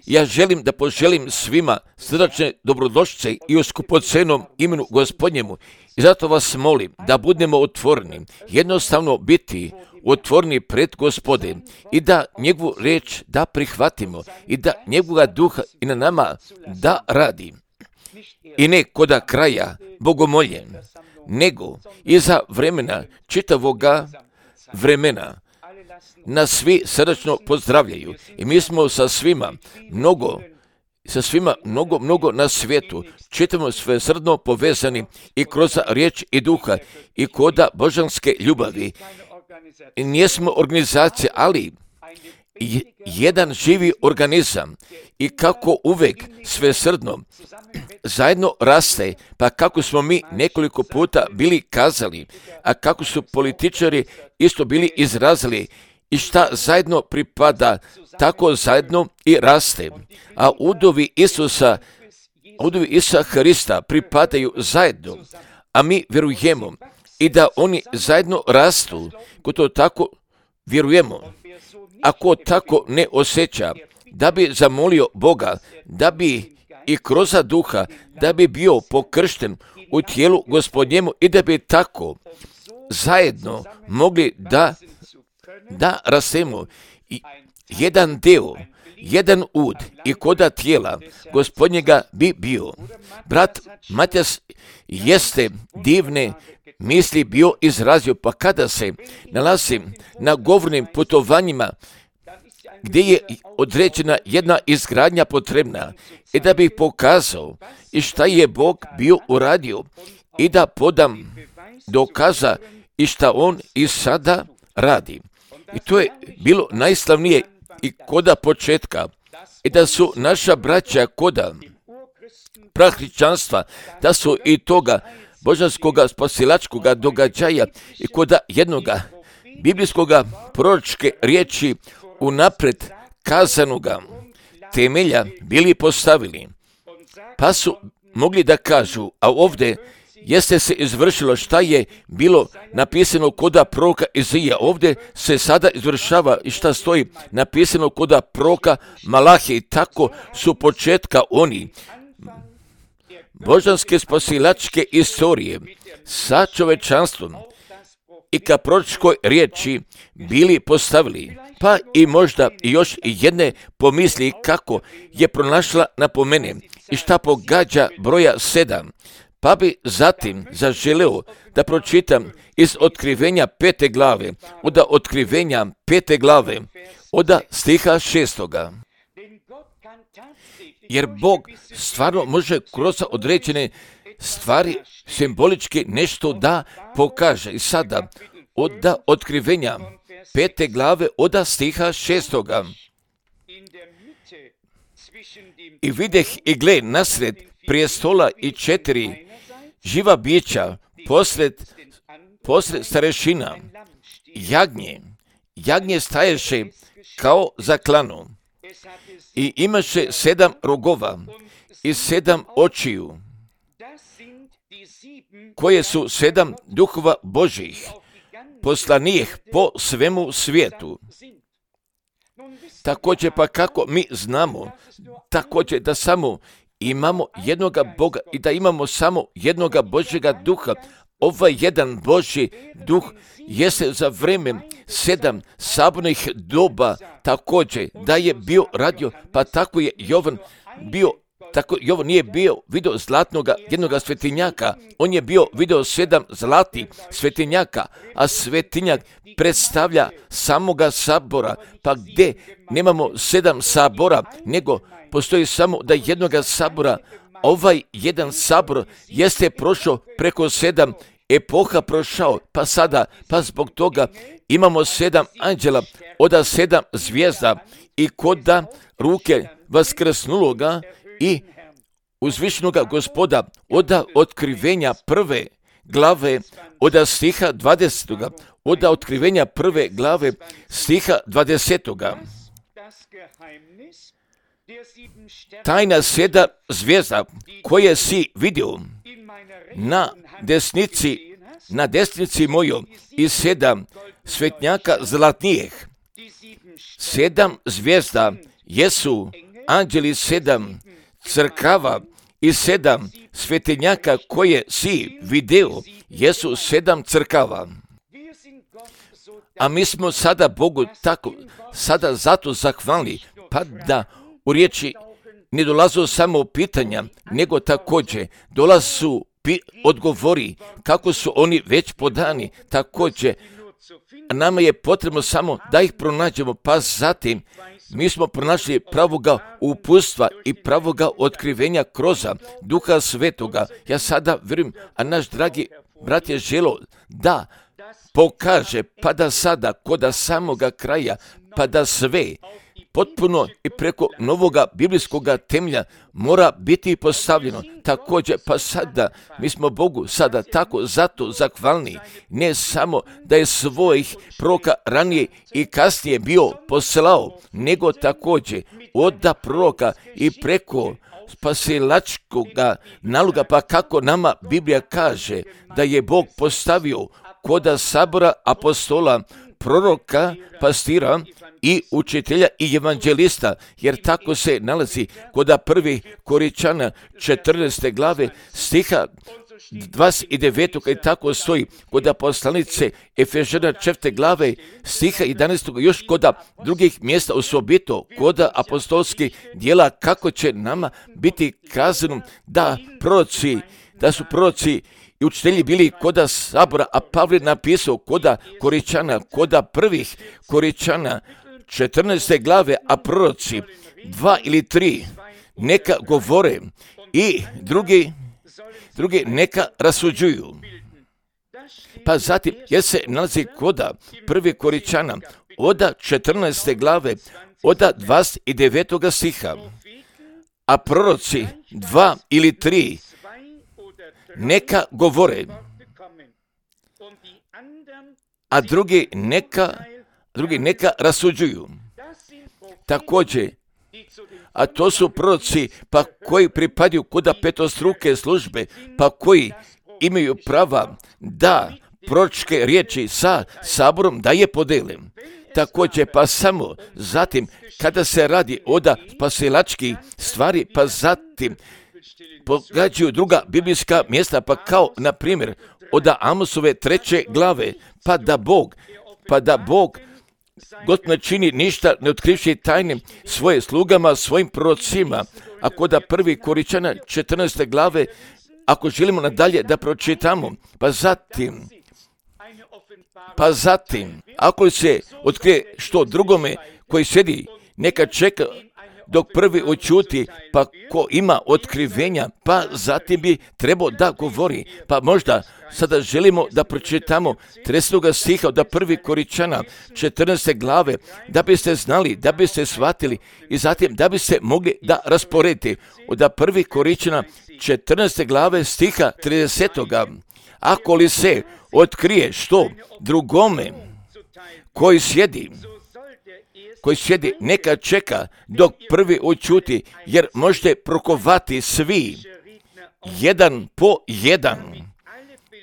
Ja želim da poželim svima srdačne dobrodošlice i u skupocenom imenu Gospodnjemu. I zato vas molim da budemo otvoreni, jednostavno biti otvoreni pred Gospode i da njegovu riječ da prihvatimo i da njegova duha i na nama da radi. I ne koda kraja bogomoljen, nego iza vremena čitavoga vremena. Nas svi srdačno pozdravljaju i mi smo sa svima mnogo na svijetu. Čitamo sve srdno povezani i kroz riječ i duha i koda božanske ljubavi. I nijesmo organizacija, ali jedan živi organizam i kako uvek sve srdno zajedno raste, pa kako smo mi nekoliko puta bili kazali, a kako su političari isto bili izrazili i šta zajedno pripada, tako zajedno i raste. A udovi Isusa Hrista pripadaju zajedno, a mi vjerujemo i da oni zajedno rastu, ko to tako vjerujemo. Ako tako ne osjeća, da bi zamolio Boga, da bi i kroz duha, da bi bio pokršten u tijelu Gospodnjemu i da bi tako zajedno mogli da rastemo. Jedan deo, jedan ud i koda tijela Gospodnjega bi bio. Brat Matjas jeste divne misli bio izrazio, pa kada se nalazi na govornim putovanjima gdje je određena jedna izgradnja potrebna i da bi pokazao i šta je Bog bio uradio i da podam dokaza i šta on i sada radi. I to je bilo najslavnije i koda početka i da su naša braća koda prahričanstva, da su i toga božanskoga spasilačkoga događaja i koda jednoga biblijskoga proročke riječi unapred kazanoga temelja bili postavili. Pa su mogli da kažu, a ovdje jeste se izvršilo šta je bilo napisano koda proroka Izija. Ovdje se sada izvršava i šta stoji napisano koda proroka Malahije. I tako su početka oni božanske spasilačke istorije sa čovečanstvom i ka proročkoj riječi bili postavili. Pa i možda i još jedne pomisli kako je pronašla napomene i šta pogađa broja 7. Pa bi zatim zaželeo da pročitam iz otkrivenja 5. glave, od otkrivenja 5. glave, od stiha 6. Jer Bog stvarno može kroz određene stvari simbolički nešto da pokaže. I sada od otkrivenja 5. glave, od stiha 6. I videh i gle nasred prijestola i 4 živa bića posred starešina. Jagnje staješe kao za klanu i imaše 7 rogova i 7 očiju, koje su 7 duhova Božih, poslanijih po svemu svijetu. Također pa kako mi znamo, također da samo imamo jednoga Boga i da imamo samo jednoga Božjega duha. Ovaj jedan Božji duh jeste za vrijeme 7 sabornih doba također da je bio radio, pa tako je Jovan bio. Tako Jovan nije bio video zlatnoga jednoga svetinjaka, on je bio video 7 zlatih svetinjaka, a svetinjak predstavlja samoga sabora, pa gdje nemamo 7 sabora, nego postoji samo da jednoga sabora. Ovaj jedan sabor jeste prošao preko 7 epoha prošao, pa zbog toga imamo 7 anđela od 7 zvijezda i koda ruke vaskrsnuloga i uzvišenoga Gospoda od otkrivenja 1. glave od stiha 20. Od otkrivenja 1. glave stiha 20. Tajna 7 zvijezda koje si vidio na desnici mojoj i 7 svetnjaka zlatnijih 7 zvijezda jesu anđeli 7 crkava i 7 svetinjaka koje si video jesu 7 crkava. A mi smo sada Bogu tako, sada zato zahvalni, pa da u riječi ne dolazu samo pitanja, nego također dolazu odgovori kako su oni već podani. Također, nama je potrebno samo da ih pronađemo, pa zatim mi smo pronašli pravoga uputstva i pravoga otkrivenja kroz Duha Svetoga. Ja sada vjerujem, a naš dragi brat je želio da pokaže, pa da sada kod samoga kraja, pa da sve potpuno i preko novoga biblijskoga temelja mora biti postavljeno. Također, pa sada mi smo Bogu sada tako zato zahvalni, ne samo da je svojih proroka ranije i kasnije bio poslao, nego također od proroka i preko spasilačkoga naloga, pa kako nama Biblija kaže da je Bog postavio koda sabora apostola, proroka, pastira i učitelja i evanđelista, jer tako se nalazi koda 1. Korinčana 14. glave stiha 29. i tako stoji koda poslanice Efežana 4. glave stiha 11. još koda drugih mjesta, osobito koda apostolskih djela, kako će nama biti kazano da su proroci i učitelji bili koda sabora, a Pavle napisao koda Korinčana, koda 1. Korinčana 14. glave, a proroci 2 ili 3 neka govore i drugi neka rasuđuju. Pa zatim, jer se nalazi koda 1. Korinčana, oda 14. glave, oda 29. stiha, a proroci 2 ili 3 neka govore, a drugi neka rasuđuju. Također, a to su proroci pa koji pripadaju koda petostruke službe, pa koji imaju prava da proročke riječi sa saborom da je podele. Također, pa samo zatim kada se radi o spasilačkih stvari, pa zatim pogađaju druga biblijska mjesta, pa kao na primjer od Amosove 3. glave, pa da Bog Gospod ne čini ništa ne otkrivši tajne svoje slugama, svojim prorocima. A kod 1. Korinčana 14. glave, ako želimo nadalje da pročitamo, pa zatim, ako se otkrije što drugome koji sjedi, neka čeka dok prvi očuti, pa ko ima otkrivenja, pa zatim bi trebao da govori. Pa možda sada želimo da pročitamo 30. stiha od 1. Korinčana 14. glave, da biste znali, da biste shvatili i zatim da biste mogli da rasporedite. Od 1. Korinčana 14. glave stiha 30. Ako li se otkrije što drugome koji sjedi, neka čeka dok prvi očuti, jer možete prokovati svi, jedan po jedan,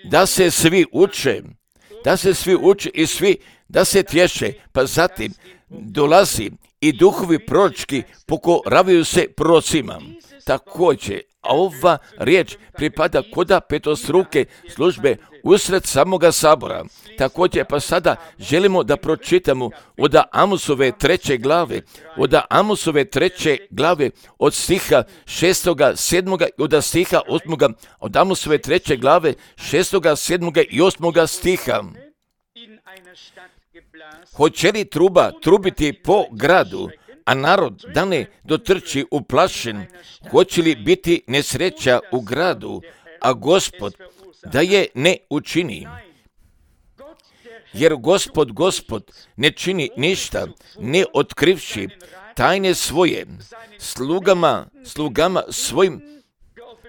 da se svi uče i svi da se tješe, pa zatim dolazi i duhovi proročki pokoravaju se prorocima. Također, a ova riječ pripada koda petostruke službe usred samoga sabora. Također, pa sada želimo da pročitamo od Amosove 3. glave, od stiha 6., 7. i od stiha 8. od Amosove 3. glave 6., 7. i 8. stiha. Hoće li truba trubiti po gradu, a narod da ne dotrči uplašen? Hoće li biti nesreća u gradu, a Gospod da je ne učini? Jer Gospod ne čini ništa, ne otkrivši tajne svoje slugama svojim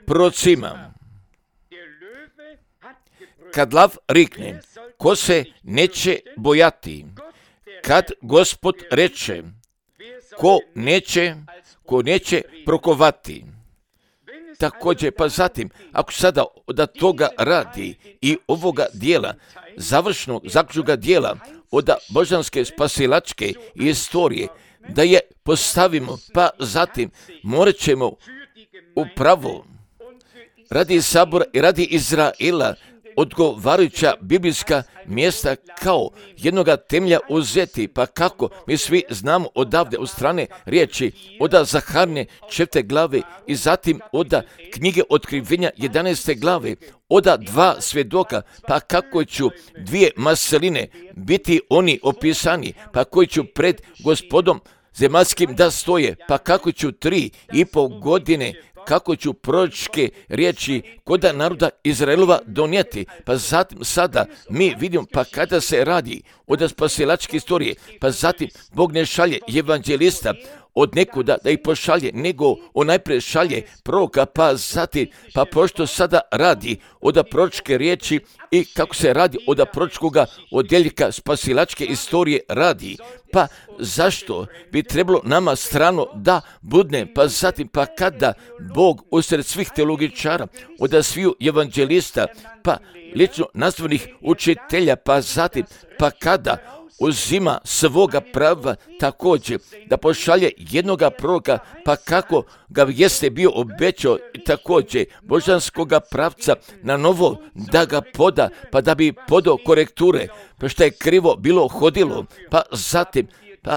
prorocima. Kad lav rikne, ko se neće bojati? Kad Gospod reče, ko neće prokovati? Također, pa zatim, ako sada od toga radi i ovoga dijela, zaključnoga dijela, od božanske spasilačke istorije, da je postavimo, pa zatim morat ćemo upravo radi sabora i radi Izraela odgovarajuća biblijska mjesta kao jednoga temelja uzeti, pa kako mi svi znamo odavde od strane riječi od Zaharne 4. glave i zatim od knjige Otkrivenja 11. glave, od 2 svjedoka, pa kako ću 2 maseline biti oni opisani, pa koji ću pred Gospodom zemaljskim da stoje, pa kako ću 3,5 godine kako ću proročke riječi kod naroda Izraelova donijeti. Pa zatim sada mi vidimo, pa kada se radi od spasilačke istorije, pa zatim Bog ne šalje evanđelista od nekuda da ih pošalje, nego on najprije šalje proroka, pa zatim, pa pošto sada radi od proročke riječi i kako se radi od proročkoga odjeljka spasilačke istorije radi, pa zašto bi trebalo nama strano da budne, pa zatim, pa kada Bog usred svih teologičara, od sviju evanđelista, pa lično nazvanih učitelja, pa zatim, pa kada uzima svoga prava također da pošalje jednoga proroka, pa kako ga jeste bio obećao također božanskoga pravca na novo da ga poda, pa da bi podao korekture, pa što je krivo bilo hodilo, pa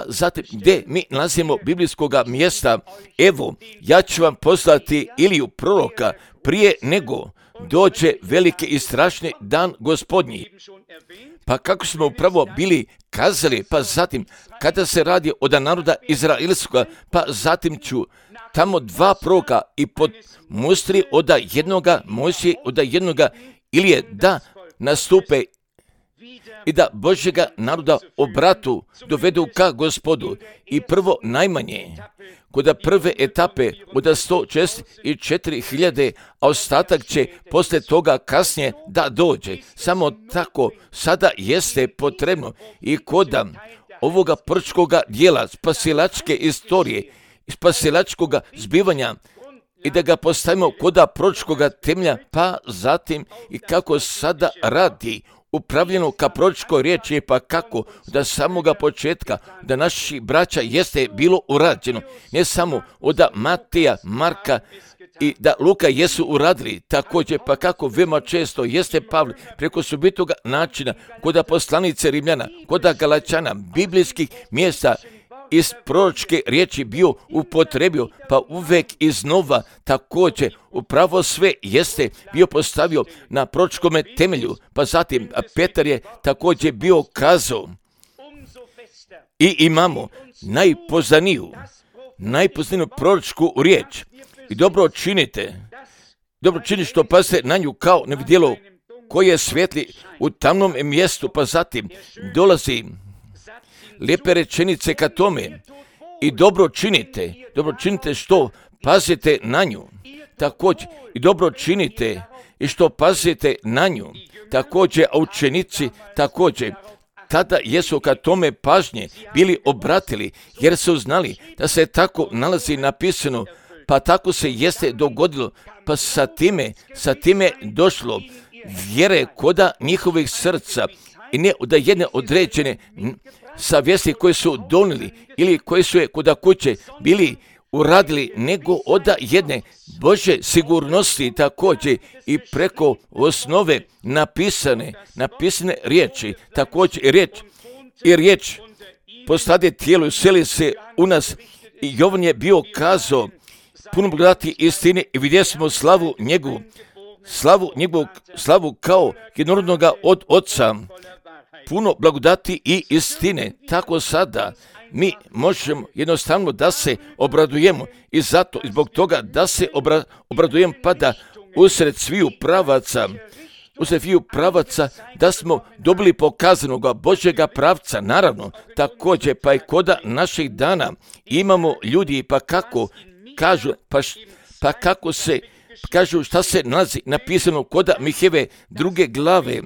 zatim gdje mi nalazimo biblijskoga mjesta, evo, ja ću vam poslati Iliju proroka prije nego dođe veliki i strašni dan Gospodnji. Pa kako smo upravo bili kazali, pa zatim kada se radi od naroda Izraelskoga, pa zatim ću tamo 2 proroka i pod mustri od jednoga Mojsije, od jednoga Ilije da nastupe i da Božjega naroda obratu dovedu ka Gospodu. I prvo najmanje, kod prve etape od 104.000, a ostatak će poslije toga kasnije da dođe. Samo tako sada jeste potrebno i kod ovoga proročkoga dijela spasilačke istorije, spasilačkoga zbivanja, i da ga postavimo kod proročkoga temelja, pa zatim i kako sada radi upravljeno ka proročkoj riječi, pa kako da samoga početka da naši braća jeste bilo urađeno, ne samo od Mateja, Marka i da Luka jesu uradili također, pa kako veoma često jeste Pavle preko subitoga načina kod poslanice Rimljana, kod Galačana, biblijskih mjesta iz proročke riječi bio upotrebio, pa uvek iznova također upravo sve jeste bio postavio na proročkome temelju, pa zatim Petar je također bio kazao i imamo najpoznaniju proročku riječ i dobro činite što pazite na nju kao na vidjelo koje svijetli u tamnom mjestu, pa zatim dolazi lijepe rečenice ka tome i dobro činite što pazite na nju, također i dobro činite i što pazite na nju, također, a učenici također tada jesu ka tome pažnje bili obratili, jer su znali da se tako nalazi napisano, pa tako se jeste dogodilo, pa sa time došlo vjere koda njihovih srca i ne da jedne određene savjesti koje su donijeli ili koje su je kod kuće bili uradili, nego od jedne Božje sigurnosti također i preko osnove napisane riječi, također i riječ postade tijelo i useli se u nas, i Jovan je bio kazao puno blagodati istine i vidjeli smo slavu njegovu kao jednorodnoga od Oca, puno blagodati i istine. Tako sada mi možemo jednostavno da se obradujemo i zato i zbog toga da se obradujemo, pa da usred sviju pravaca da smo dobili pokazanog Božjega pravca, naravno također pa i koda naših dana imamo ljudi, pa kako kažu, pa kako se kažu šta se nalazi napisano koda Miheve 2. glave.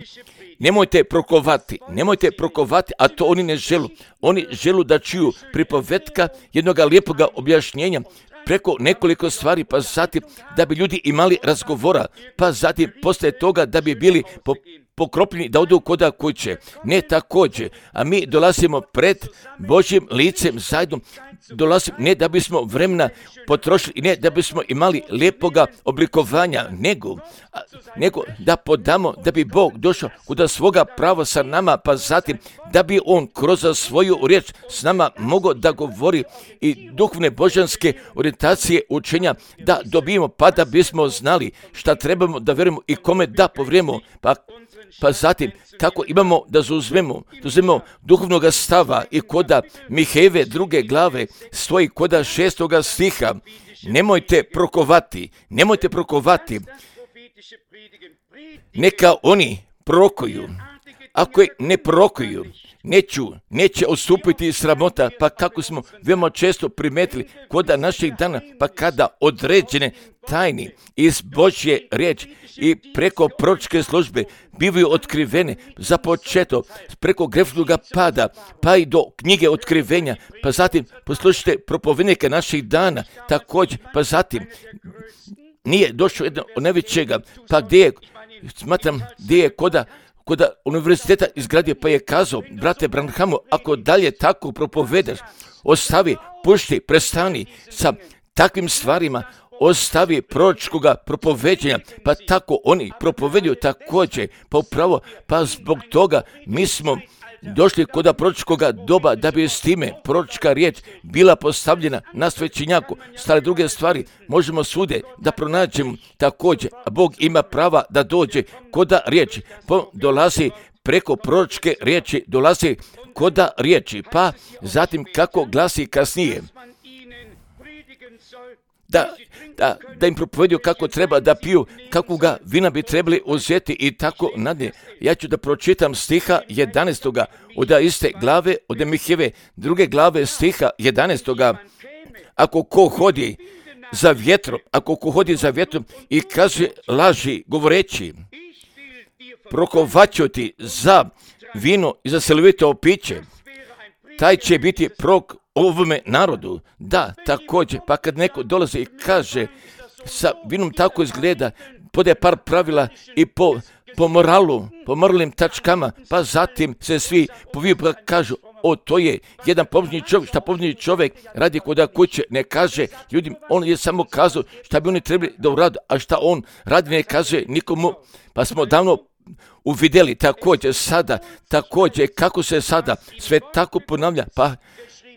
Nemojte prokovati, a to oni ne želu. Oni želu da čuju pripovetka jednoga lijepoga objašnjenja preko nekoliko stvari, pa zatim da bi ljudi imali razgovora, pa zatim poslije toga da bi bili pokropljeni da odu koda kuće. Ne također, a mi dolazimo pred Božjim licem zajedno, dolazimo ne da bismo vremena potrošili i ne da bismo imali lijepoga oblikovanja, nego da podamo da bi Bog došao kuda svoga prava sa nama, pa zatim da bi On kroz svoju riječ s nama mogao da govori i duhovne božanske orijentacije učenja da dobijemo, pa da bismo znali šta trebamo da vjerujemo i kome da povrijemo, pa zatim kako imamo da zauzmemo duhovnog stava i koda Mihejeve 2. glave stoji koda 6. stiha. Nemojte prokovati. Neka oni prorokuju. Ako ne prorokuju, neće odstupiti sramota, pa kako smo veoma često primetili koda naših dana, pa kada određene tajni iz Božje riječi i preko proročke službe bivaju otkrivene, započeto preko grefnog pada, pa i do knjige otkrivenja, pa zatim poslušajte propovednike naših dana, također, pa zatim nije došlo jedno od najvećega, pa gdje je koda univerziteta izgradio, pa je kazao, brate Branhamu, ako dalje tako propovedaš, ostavi, pušti, prestani sa takvim stvarima, ostavi proročkoga propoveđenja, pa tako oni propoveduju također, pa upravo, pa zbog toga mi smo došli kod proročkoga doba da bi s time proročka riječ bila postavljena na svećenjaku. Stare druge stvari možemo svude da pronađemo također, a Bog ima prava da dođe koda riječi, dolazi preko proročke riječi, dolazi koda riječi, pa zatim kako glasi kasnije. Da im propovedio kako treba da piju, kakvoga vina bi trebali uzeti i tako nadalje. Ja ću da pročitam stiha 11. od iste glave, od Mihejeve 2. glave stiha 11. Ako ko hodi za vjetrom i kaže laži govoreći, prokovaću ti za vino i za silovito piće, taj će biti prorok ovome narodu. Da, također, pa kad neko dolazi i kaže sa vinom tako izgleda, podaje par pravila i po moralu, po moralnim tačkama, pa zatim se svi poviju pa kažu, to je jedan pobožni čovjek, šta pobožni čovjek radi koda kuće, ne kaže ljudima, on je samo kazao šta bi oni trebali da urade, a šta on radi ne kaže nikomu, pa smo davno uvidjeli također sada, kako se sada sve tako ponavlja,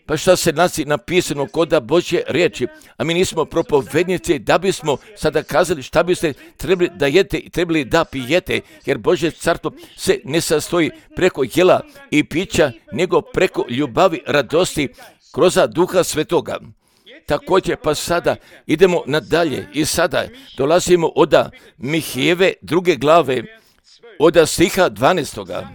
pa šta se nalazi napisano koda Božje riječi, a mi nismo propovednici da bismo sada kazali šta biste trebali da jete i trebali da pijete, jer Božje carstvo se ne sastoji preko jela i pića, nego preko ljubavi, radosti, kroz Duha Svetoga. Također, pa sada idemo nadalje i sada dolazimo od Mihejeve 2. glave, od stiha 12.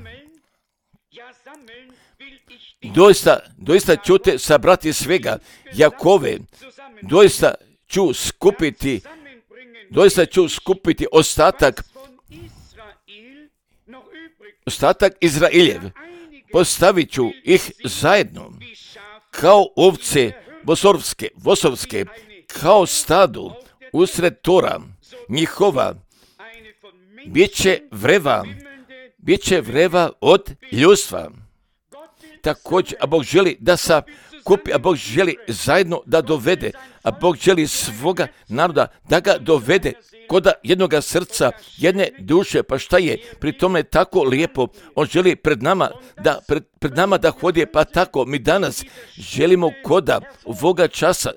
Doista ću te sabrati svega, Jakove, doista ću skupiti ostatak Izraeljev, postavit ću ih zajedno, kao ovce vosovske, kao stadu usred tora njihova, bit će vreva od ljudstva. Također, a Bog želi da sakupi, a Bog želi zajedno da dovede, a Bog želi svoga naroda da ga dovede koda jednoga srca, jedne duše, pa šta je pri tome tako lijepo, on želi pred nama da hodi, pa tako mi danas želimo koda ovoga časa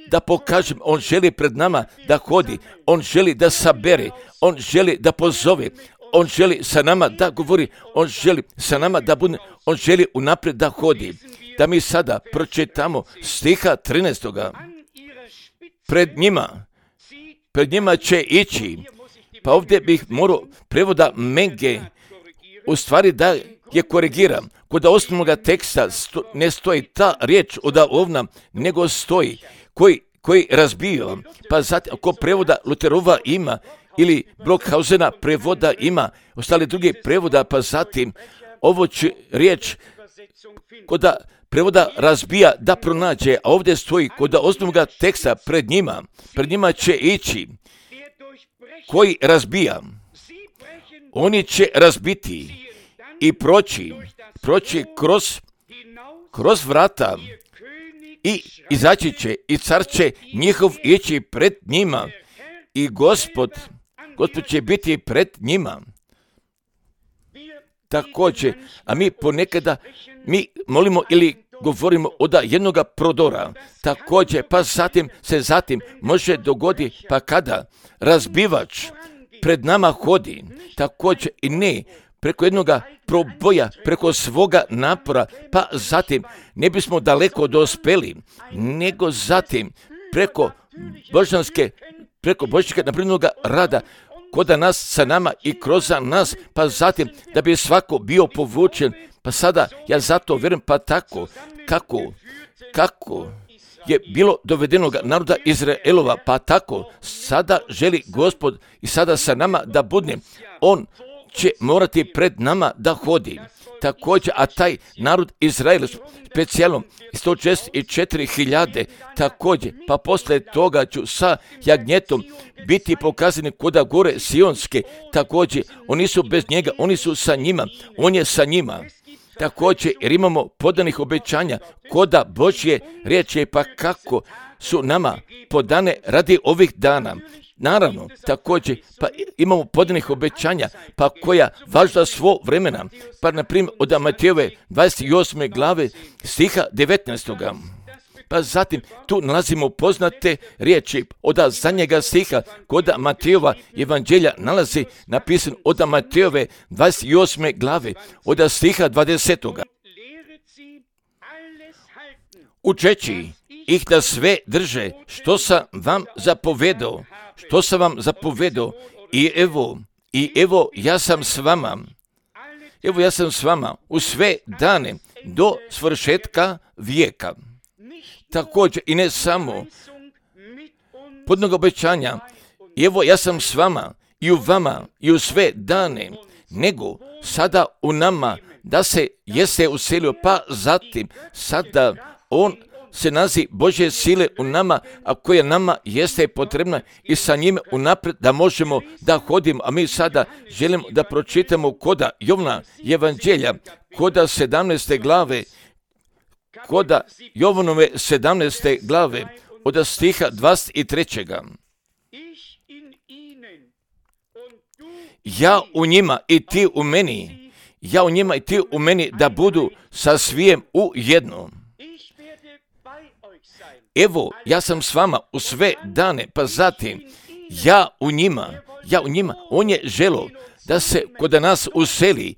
da pokažem, on želi pred nama da hodi, on želi da sabere, on želi da pozove, on želi sa nama da govori, on želi sa nama da bude, on želi unaprijed da hodi. Da mi sada pročitamo stiha 13. Pred njima će ići, pa ovdje bih morao prevoda Menge, u stvari da je korigiram. Kod osnovnog teksta ne stoji ta riječ od ovna, nego stoji koji razbio, pa zatim ako prevoda Luterova ima, ili Blockhausena prevoda ima, ostali drugi prevoda, pa zatim ovo će riječ koda prevoda razbija da pronađe, a ovdje stoji kod osnovnog teksta pred njima će ići, koji razbija. oni će razbiti i proći kroz vrata i izaći će i car će njihov ići pred njima i Gospod će biti pred njima. Također, a mi ponekada molimo ili govorimo od jednoga prodora, također, pa zatim može dogoditi, pa kada razbivač pred nama hodi, također i ne preko jednoga proboja, preko svoga napora, pa zatim ne bismo daleko dospeli, nego zatim preko božanskega napravljenoga rada, koda nas sa nama i kroz nas, pa zatim da bi svako bio povučen, pa sada ja zato vjerujem, pa tako kako je bilo dovedenoga naroda Izraelova, pa tako sada želi Gospod i sada sa nama da bude. On će morati pred nama da hodi. Također, a taj narod Izrael specijalno 164.000 također, pa poslije toga ću sa jagnjetom biti pokazani koda gore Sionske, također, oni su bez njega, oni su sa njima, on je sa njima. Također, jer imamo podanih obećanja koda Božje riječi, pa kako su nama podane radi ovih dana. Naravno, također, pa imamo podanih obećanja, pa koja važda svo vremena, pa na primjer od Matejove 28. glave stiha 19. Pa zatim tu nalazimo poznate riječi od zadnjega stiha kod Matejova evanđelja nalazi napisan od Matejove 28. glave od stiha 20. Učeći ih da sve drže što sam vam zapovedao, i evo ja sam s vama u sve dane do svršetka vijeka. Također i ne samo podnog obećanja, evo ja sam s vama i u vama i u sve dane, nego sada u nama da se jeste uselio, pa zatim sada on se nazi Božje sile u nama, a koja nama jeste potrebna i sa njime unaprijed da možemo da hodimo. A mi sada želimo da pročitamo koda Jovna evanđelja, koda 17. glave, koda Jovanove 17. glave, od stiha 23. Ja u njima i ti u meni, da budu sa svijem u jednom. Evo, ja sam s vama u sve dane, pa zatim, ja u njima, on je želo da se kod nas useli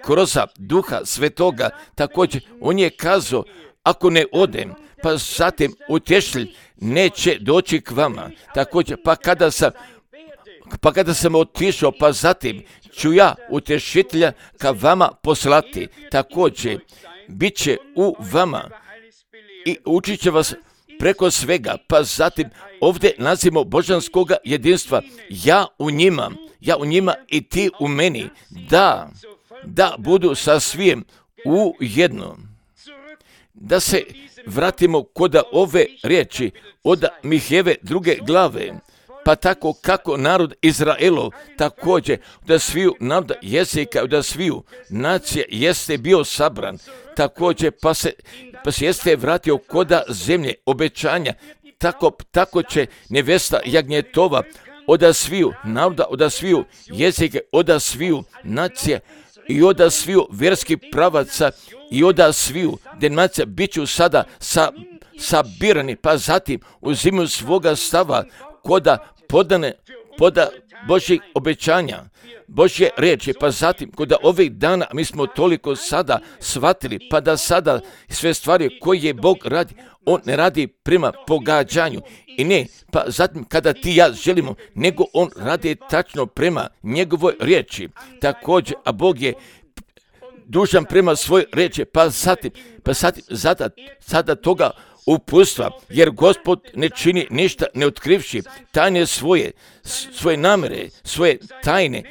kroz Duha Svetoga, također, on je kazao, ako ne odem, pa zatim utješitelj neće doći k vama, također, pa kada sam otišao, pa zatim ću ja utješitelja ka vama poslati, također, bit će u vama i učit će vas preko svega, pa zatim ovdje nazivamo božanskoga jedinstva, ja u njima i ti u meni, da budu sa svijem u jednom. Da se vratimo kod ove riječi od Mihejeve 2. glave, pa tako kako narod Izraelov također da sviju naroda jezika, da sviju nacije jeste bio sabran, također pa se jeste vratio koda zemlje obećanja, tako će nevesta jagnjetova od sviju naroda, od sviju jezike, od sviju nacije i od sviju vjerskih pravaca i od sviju denacija bit ću sada sabirani, pa zatim uzimaju svoga stava koda poda Božjih obećanja, Božje riječi, pa zatim kod ovih dana mi smo toliko sada shvatili, pa da sada sve stvari koje Bog radi, on ne radi prema pogađanju i ne, pa zatim kada ti ja želimo, nego on radi tačno prema njegovoj riječi. Također, a Bog je dužan prema svoj riječi, pa zatim sada toga uputstva, jer Gospod ne čini ništa ne otkrivši tajne svoje namere, svoje tajne,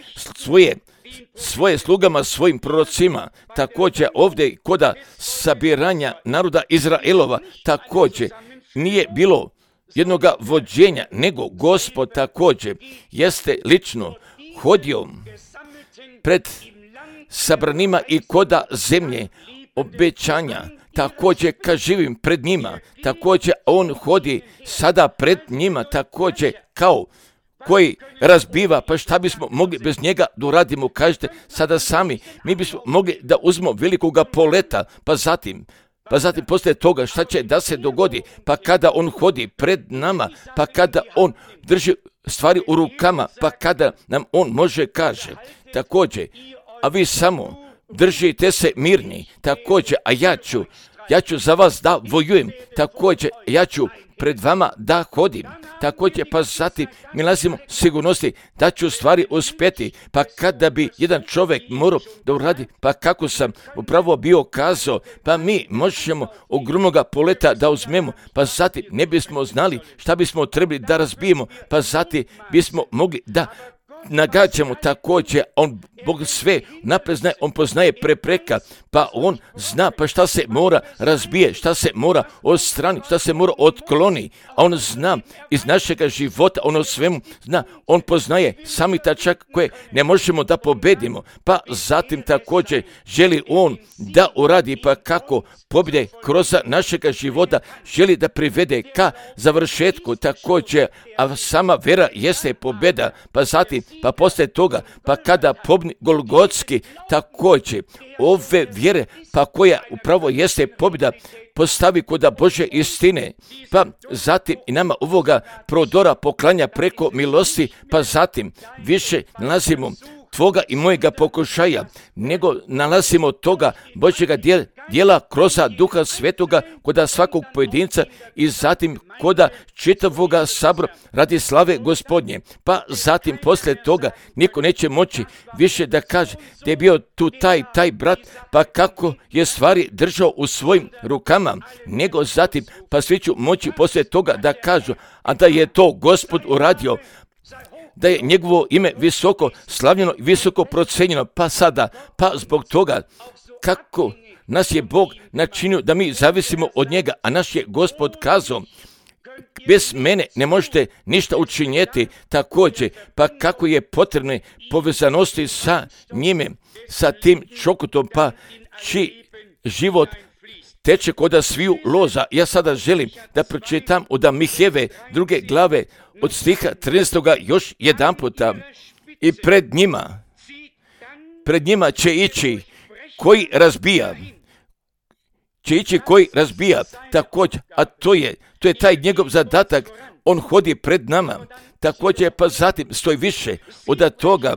svoje slugama, svojim prorocima. Također ovdje koda sabiranja naroda Izraelova također nije bilo jednoga vođenja, nego Gospod također jeste lično hodio pred sabranima i koda zemlje obećanja. Također kad živim pred njima, također on hodi sada pred njima, također kao koji razbiva, pa šta bismo mogli bez njega da uradimo, kažete sada sami, mi bismo mogli da uzmemo velikoga poleta, pa zatim poslije toga šta će da se dogodi, pa kada on hodi pred nama, pa kada on drži stvari u rukama, pa kada nam on može kaže, također, a vi samo držite se mirni, također, a ja ću za vas da vojujem, također, ja ću pred vama da hodim, također, pa zatim mi nalazimo sigurnosti da ću stvari uspjeti, pa kada bi jedan čovjek morao da uradi, pa kako sam upravo bio kazao, pa mi možemo ogromnoga poleta da uzmemo, pa zatim ne bismo znali šta bismo trebali da razbijemo, pa zatim bismo mogli da nagađamo također, Bog sve napred zna, on poznaje prepreka, pa on zna pa šta se mora razbije, šta se mora odstrani, šta se mora otkloni, a on zna iz našega života, on o svemu zna, on poznaje sami tačak koje ne možemo da pobedimo, pa zatim također želi on da uradi, pa kako pobjede kroz našega života, želi da privede ka završetku također, a sama vera jeste pobjeda, pa zatim, pa poslije toga, pa kada pobni Golgotski također ove vjere, pa koja upravo jeste pobjeda, postavi koda Bože istine, pa zatim i nama ovoga prodora poklanja preko milosti, pa zatim više nalazimo tvoga i mojega pokušaja, nego nalazimo toga Božjega dijela kroz Duha Svetoga koda svakog pojedinca i zatim koda čitavoga sabora radi slave Gospodnje. Pa zatim poslije toga niko neće moći više da kaže da je bio tu taj brat, pa kako je stvari držao u svojim rukama, nego zatim pa svi ću moći poslije toga da kažu, a da je to Gospod uradio, da je njegovo ime visoko slavljeno i visoko procenjeno, pa sada, pa zbog toga kako nas je Bog načinio da mi zavisimo od njega, a naš je Gospod kazao, bez mene ne možete ništa učinjeti, također, pa kako je potrebne povezanosti sa njime, sa tim čokotom, pa čiji život teče koda sviju loza. Ja sada želim da pročitam od Miheve 2. glave od stiha 13. još jedan puta. I pred njima će ići koji razbija, također, a to je taj njegov zadatak, on hodi pred nama, također, pa zatim stoji više od toga,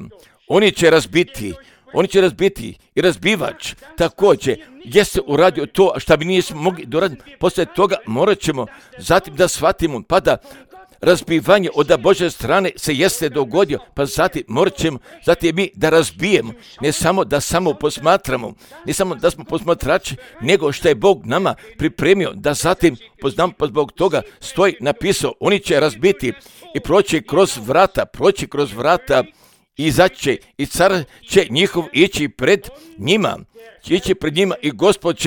oni će razbiti i razbivač, također, jeste uradio to što bi nismo mogli doraditi, poslije toga morat ćemo zatim da shvatimo, pa da razbivanje od Božje strane se jeste dogodio, pa zatim morat ćemo, zatim mi da razbijemo, ne samo da posmatramo, ne samo da smo posmatrači, nego što je Bog nama pripremio, da zatim poznamo, pa zbog toga stoji napisao, oni će razbiti i proći kroz vrata, i izaće i car će njihov ići pred njima i Gospod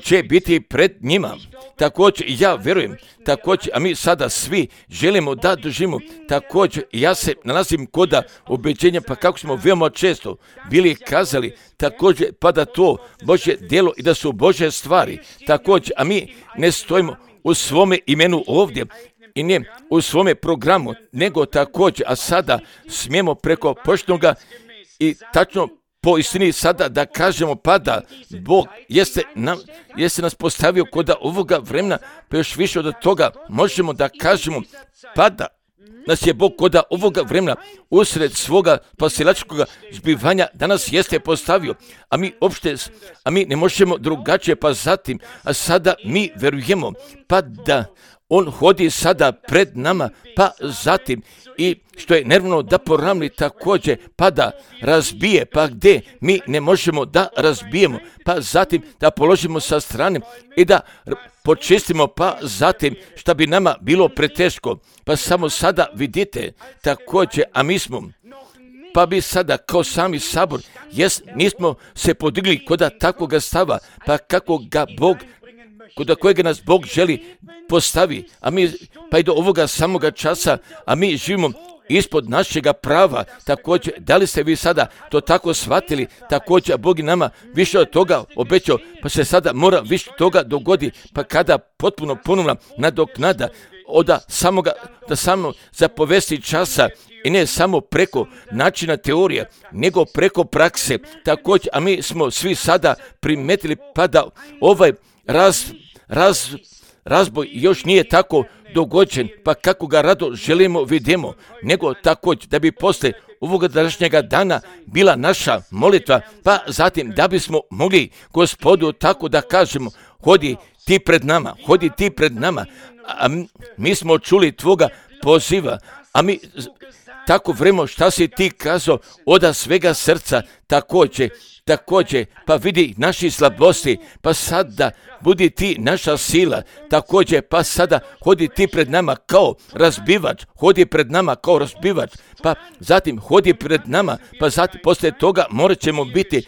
će biti pred njima. Također ja vjerujem, također, a mi sada svi želimo da doživimo, također ja se nalazim koda obećenja, pa kako smo veoma često bili kazali, također pa da to Božje djelo i da su Božje stvari, također, a mi ne stojimo u svome imenu ovdje, i ne u svome programu, nego također, a sada smijemo preko poštenoga i tačno po istini sada da kažemo, pa da Bog jeste nas postavio kod ovoga vremena, pa još više od toga možemo da kažemo, pa da nas je Bog kod ovoga vremena usred svoga spasilačkog zbivanja danas jeste postavio, a mi ne možemo drugačije, pa zatim, a sada mi verujemo, pa da on hodi sada pred nama, pa zatim i što je nervno da poravni također, pa da razbije, pa gdje mi ne možemo da razbijemo, pa zatim da položimo sa strane i da počistimo, pa zatim što bi nama bilo preteško, pa samo sada vidite također, a mi smo, pa bi sada kao sami sabor, nismo se podigli kod takvoga stava, pa kako ga Bog, kod kojega nas Bog želi postavi, a mi pa i do ovoga samoga časa, a mi živimo ispod našega prava. Također, da li ste vi sada to tako shvatili? Također, Bog je nama više od toga obećao, pa se sada mora više toga dogodi, pa kada potpuno ponovna nadoknada da samo za povesti časa i ne samo preko načina teorije, nego preko prakse. Također, a mi smo svi sada primetili pa da ovaj razboj još nije tako dogođen, pa kako ga rado želimo vidimo, nego također da bi posle ovoga današnjega dana bila naša molitva, pa zatim da bismo mogli Gospodu tako da kažemo, hodi ti pred nama, a mi smo čuli tvoga poziva, a mi tako vremo šta si ti kazao od svega srca. Također, pa vidi naši slabosti, pa sada budi ti naša sila. Također, pa sada hodi ti pred nama kao razbivač, pa zatim hodi pred nama, pa zatim poslije toga morat ćemo biti,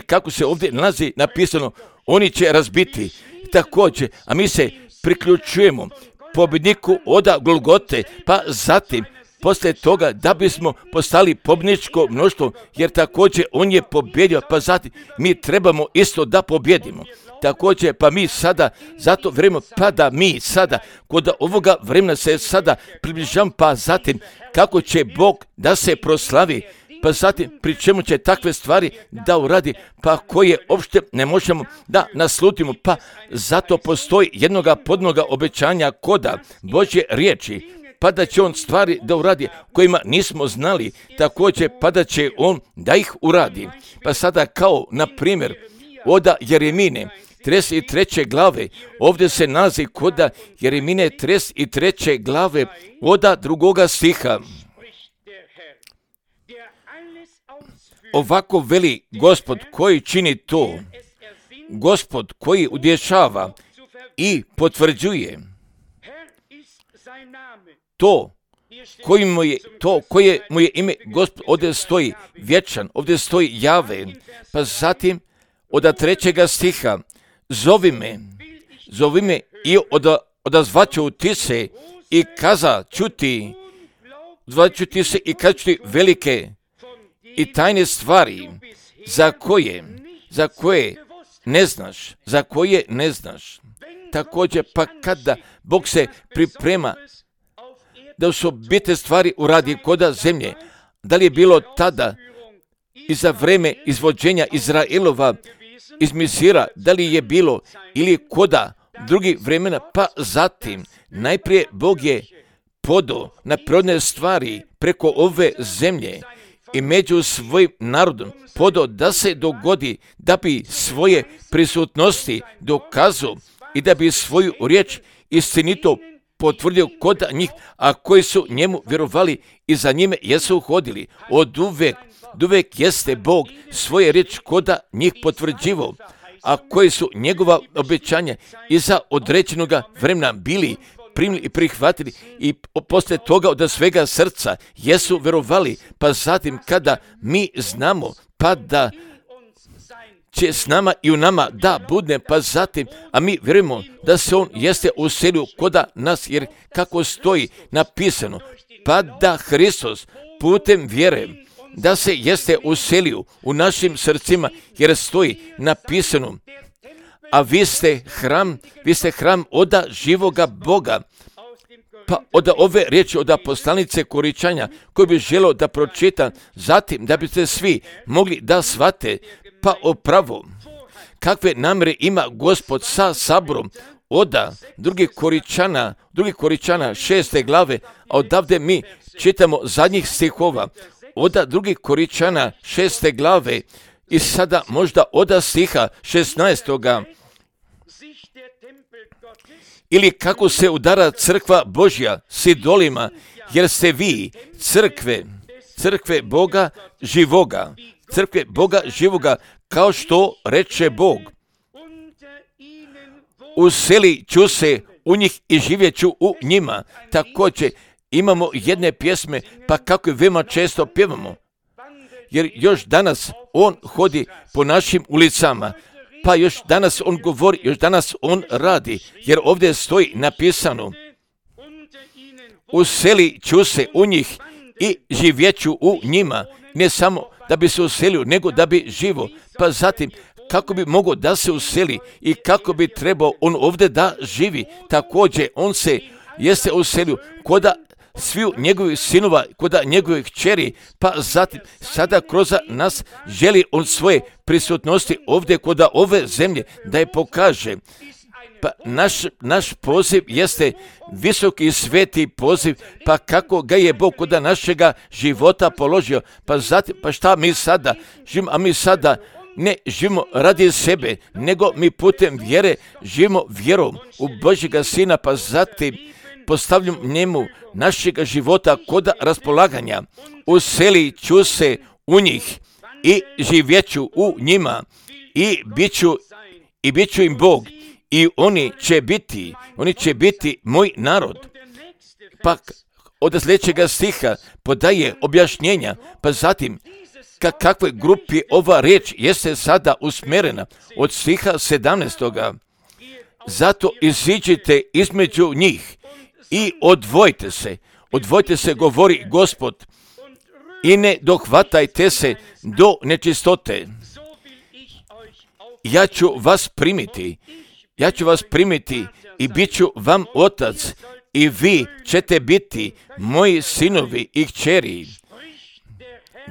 kako se ovdje nalazi napisano, oni će razbiti. Također, a mi se priključujemo pobjedniku od Golgote, pa zatim poslije toga da bismo postali pobjedničko mnoštvo, jer također on je pobjedio, pa zatim mi trebamo isto da pobjedimo. Također, pa mi sada, zato vrijeme, pa da mi sada, kod ovoga vremena se sada približavamo, pa zatim kako će Bog da se proslavi, pa zatim pri čemu će takve stvari da uradi, pa koje uopšte ne možemo da naslutimo, pa zato postoji jednoga podnoga obećanja koda Božje riječi, pa da će on stvari da uradi kojima nismo znali, također pa da će on da ih uradi. Pa sada kao, na primjer, od Jeremine 33. glave, ovdje se nalazi kod Jeremine 33. glave od 2. stiha. Ovako veli Gospod koji čini to, Gospod koji udješava i potvrđuje to koje mu je ime Gospod, ovdje stoji vječan, ovdje stoji Jave, pa zatim od 3. stiha, zovi me i odazvaću ti se i kazat ću ti se i kazat ću ti velike i tajne stvari za koje ne znaš. Također, pa kada Bog se priprema da su bite stvari uradi koda zemlje, da li je bilo tada i za vreme izvođenja Izraelova iz Misira, da li je bilo ili koda drugih vremena, pa zatim najprije Bog je podao na prirodne stvari preko ove zemlje i među svojim narodom podao da se dogodi, da bi svoje prisutnosti dokazao i da bi svoju riječ istinito potvrdio kod njih, a koji su njemu vjerovali i za njime jesu hodili. Od uvek jeste Bog svoje riječ kod njih potvrđivao, a koji su njegova obećanja iza određenoga vremena bili primili i prihvatili i poslije toga od svega srca jesu vjerovali, pa zatim kada mi znamo pa da će s nama i u nama da bude, pa zatim, a mi vjerujemo da se on jeste uselio koda nas, jer kako stoji napisano, pa da Hristos putem vjere da se jeste uselio u našim srcima, jer stoji napisano, a vi ste hram od živoga Boga. Pa od ove riječi od poslanice Koričanja koji bi želio da pročita, zatim da biste svi mogli da shvate, pa opravo kakve namjere ima Gospod sa saborom od drugih Koričana 6. glave, a odavde mi čitamo zadnjih stihova od drugih Koričana 6. glave i sada možda od stiha 16. Ili kako se udara crkva Božja s idolima, jer ste vi crkve Boga živoga, kao što reče Bog. Uselit ću se u njih i živjet ću u njima. Također imamo jedne pjesme, pa kako je veoma često pjevamo. Jer još danas on hodi po našim ulicama, pa još danas on govori, još danas on radi, jer ovdje stoji napisano, uselit ću se u njih i živjeću u njima, ne samo da bi se uselio, nego da bi živo. Pa zatim, kako bi mogao da se useli i kako bi trebao on ovdje da živi. Također, on se jeste uselio koda sviju njegovih sinova, koda njegovih kćeri, pa zatim sada kroz nas želi on svoje prisutnosti ovdje koda ove zemlje da je pokaže. Pa naš poziv jeste visoki i sveti poziv, pa kako ga je Bog koda našega života položio. Pa zatim, pa šta mi sada živimo, a mi sada ne živimo radi sebe, nego mi putem vjere živimo vjerom u Božjega Sina, pa zatim postavljam njemu našega života koda raspolaganja. Uselit ću se u njih i živjeću u njima i bit ću im Bog i oni će biti moj narod. Pa od sljedećega stiha podaje objašnjenja, pa zatim kakvoj grupi ova riječ jeste sada usmjerena od stiha 17. Zato iziđite između njih i odvojite se, govori Gospod, i ne dohvatajte se do nečistote. Ja ću vas primiti i bit ću vam otac i vi ćete biti moji sinovi i kćeri.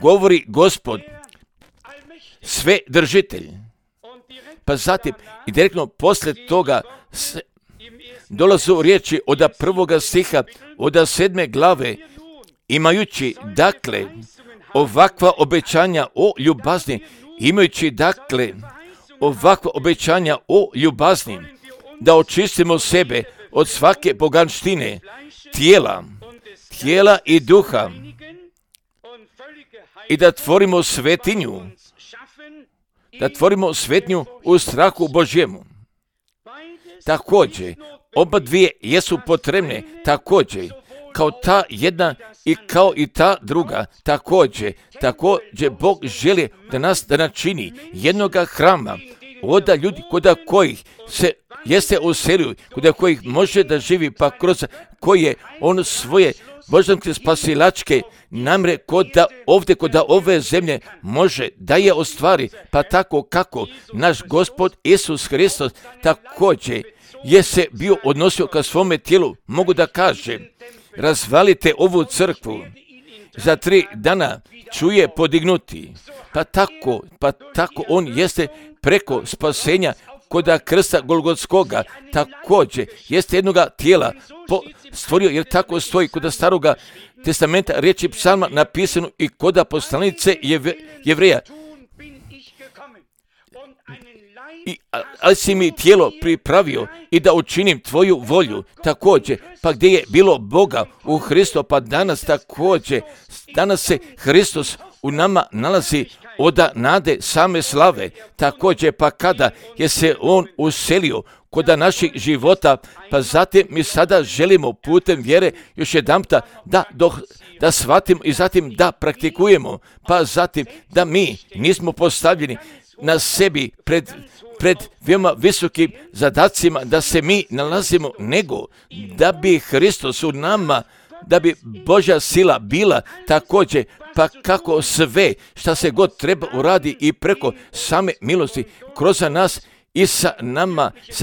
Govori Gospod, sve držitelj. Pa zatim i direktno poslije toga dolazu riječi od 1. stiha, od 7. glave, imajući dakle ovakva obećanja o ljubazni, da očistimo sebe od svake poganštine, tijela i duha, i da tvorimo svetinju u strahu Božjemu. Također, oba dvije jesu potrebne, također, kao ta jedna i kao i ta druga. Također, Bog želi da nas da načini jednoga hrama, od ljudi koda kojih se jeste uselio, koda kojih može da živi, pa kroz koje on svoje božanske spasilačke namre koda ove zemlje može da je ostvari, pa tako kako naš Gospod Isus Hristos također je se bio odnosio ka svome tijelu, mogu da kaže, razvalite ovu crkvu, za 3 dana ću je podignuti. Pa tako on jeste preko spasenja koda krsta Golgotskoga, također jeste jednoga tijela stvorio, jer tako stoji koda Staroga testamenta riječi psalma napisano i koda poslanice Jevreja. Ali si mi tijelo pripravio i da učinim tvoju volju. Također, pa gdje je bilo Boga u Hristu, pa danas se Hristos u nama nalazi od nade same slave. Također, pa kada je se on uselio koda naših života, pa zatim mi sada želimo putem vjere još jedanputa da shvatimo i zatim da praktikujemo, pa zatim da mi nismo postavljeni na sebi pred veoma visokim zadacima da se mi nalazimo, nego da bi Hristos u nama, da bi Božja sila bila također, pa kako sve šta se god treba uradi i preko same milosti kroz nas i sa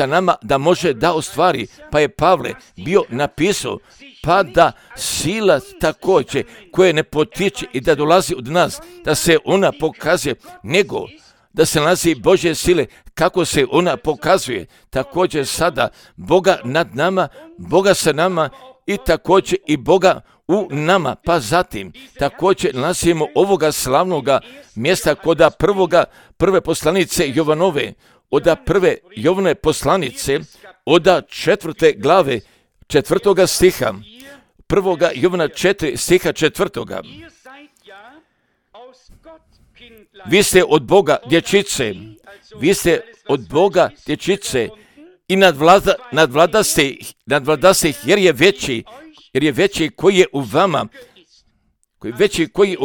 nama da može da ostvari. Pa je Pavle bio napisao, pa da sila također koja ne potiče i da dolazi od nas, da se ona pokazuje, nego da se nalazi Božje sile, kako se ona pokazuje. Također sada Boga nad nama, Boga sa nama i također i Boga u nama. Pa zatim također nalazimo ovoga slavnoga mjesta koda prve poslanice Jovanove, od prve Jovane poslanice, od 4. glave 4. stiha, 1. Jovana 4. stiha 4. Vi ste od Boga dječice, i nadvlada se jer je veći koji je u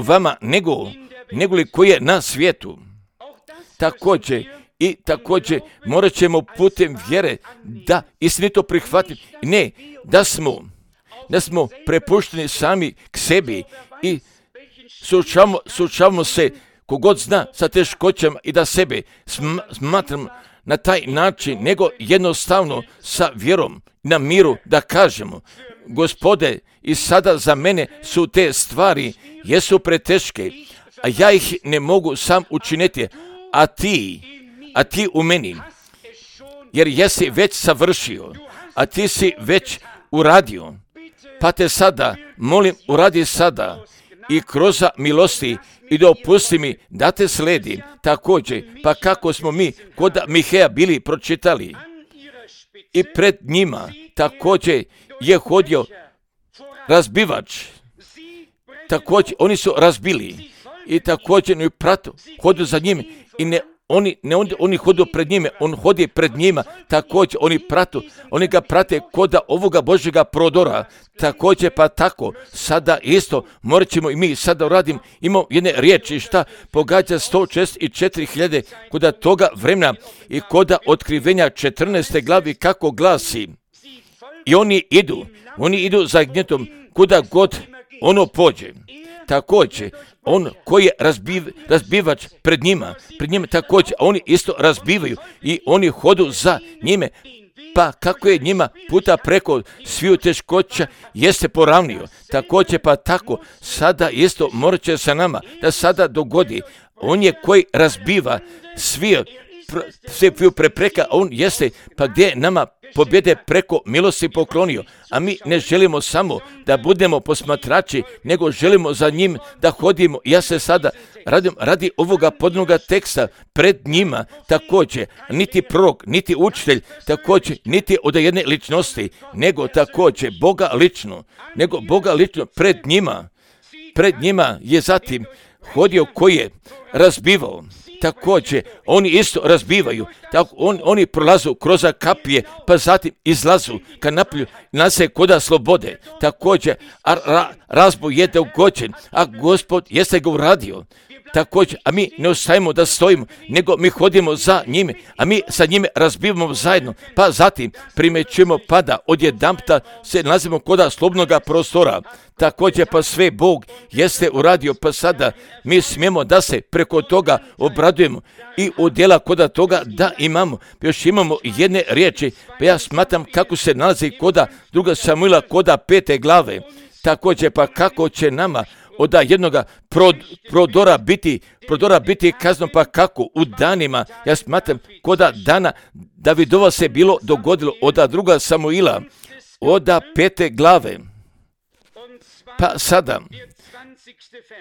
vama, nego li koji je na svijetu. Također morat ćemo putem vjere da istinito prihvatiti, ne da smo prepušteni sami k sebi i suočavamo se kogod zna sa teškoćama i da sebe smatram na taj način, nego jednostavno sa vjerom na miru da kažemo: Gospode, i sada za mene su te stvari jesu preteške, a ja ih ne mogu sam učiniti, a ti u meni, jer jesi već savršio, a ti si već uradio, pa te sada molim, uradi sada i kroz milosti i dopusti mi da te sledim. Također, pa kako smo mi kod Miheja bili pročitali, i pred njima također je hodio razbivač, također oni su razbili i također i pratu hodu za njim i oni hodu pred njime, on hodi pred njima, također oni ga prate kod ovoga Božjega prodora, također pa tako, sada isto morat ćemo i mi sada uradim, imamo jedne riječi šta pogađa 164.000 kod toga vremena i kod otkrivenja 14. glavi kako glasi, i oni idu za gnjetom kuda god ono pođe. Također, on koji je razbivač pred njima također, oni isto razbivaju i oni hodu za njime, pa kako je njima puta preko sviju teškoća jeste poravnio. Također pa tako, sada isto morat će sa nama da sada dogodi. On je koji razbiva sve prepreka, on jeste pa gdje nama pobjede preko milosti poklonio, a mi ne želimo samo da budemo posmatrači, nego želimo za njim da hodimo. Ja se sada radi ovoga podnoga teksta pred njima također, niti prorok, niti učitelj, također, niti od jedne ličnosti, nego također Boga lično pred njima je zatim hodio koji je razbivao. Također, oni isto razbivaju, tako oni prolazu kroz kapije, pa zatim izlazu ka napolju, nase koda slobode. Također, razboj je dogođen, a Gospod jeste ga uradio. Također, a mi ne ostajemo da stojimo, nego mi hodimo za njime, a mi sa njime razbivamo zajedno, pa zatim primećujemo pada, odjedanputa se nalazimo koda slobodnoga prostora. Također, pa sve Bog jeste uradio, pa sada mi smijemo da se preko toga obradujemo i udjela koda toga da imamo. Još imamo jedne riječi, pa ja smatram kako se nalazi koda 2. Samuila koda 5. glave. Također, pa kako će nama od jednoga prodora biti kazno, pa kako u danima, ja smatram koda dana Davidova se bilo dogodilo od 2. Samuila od 5. glave. Pa sada,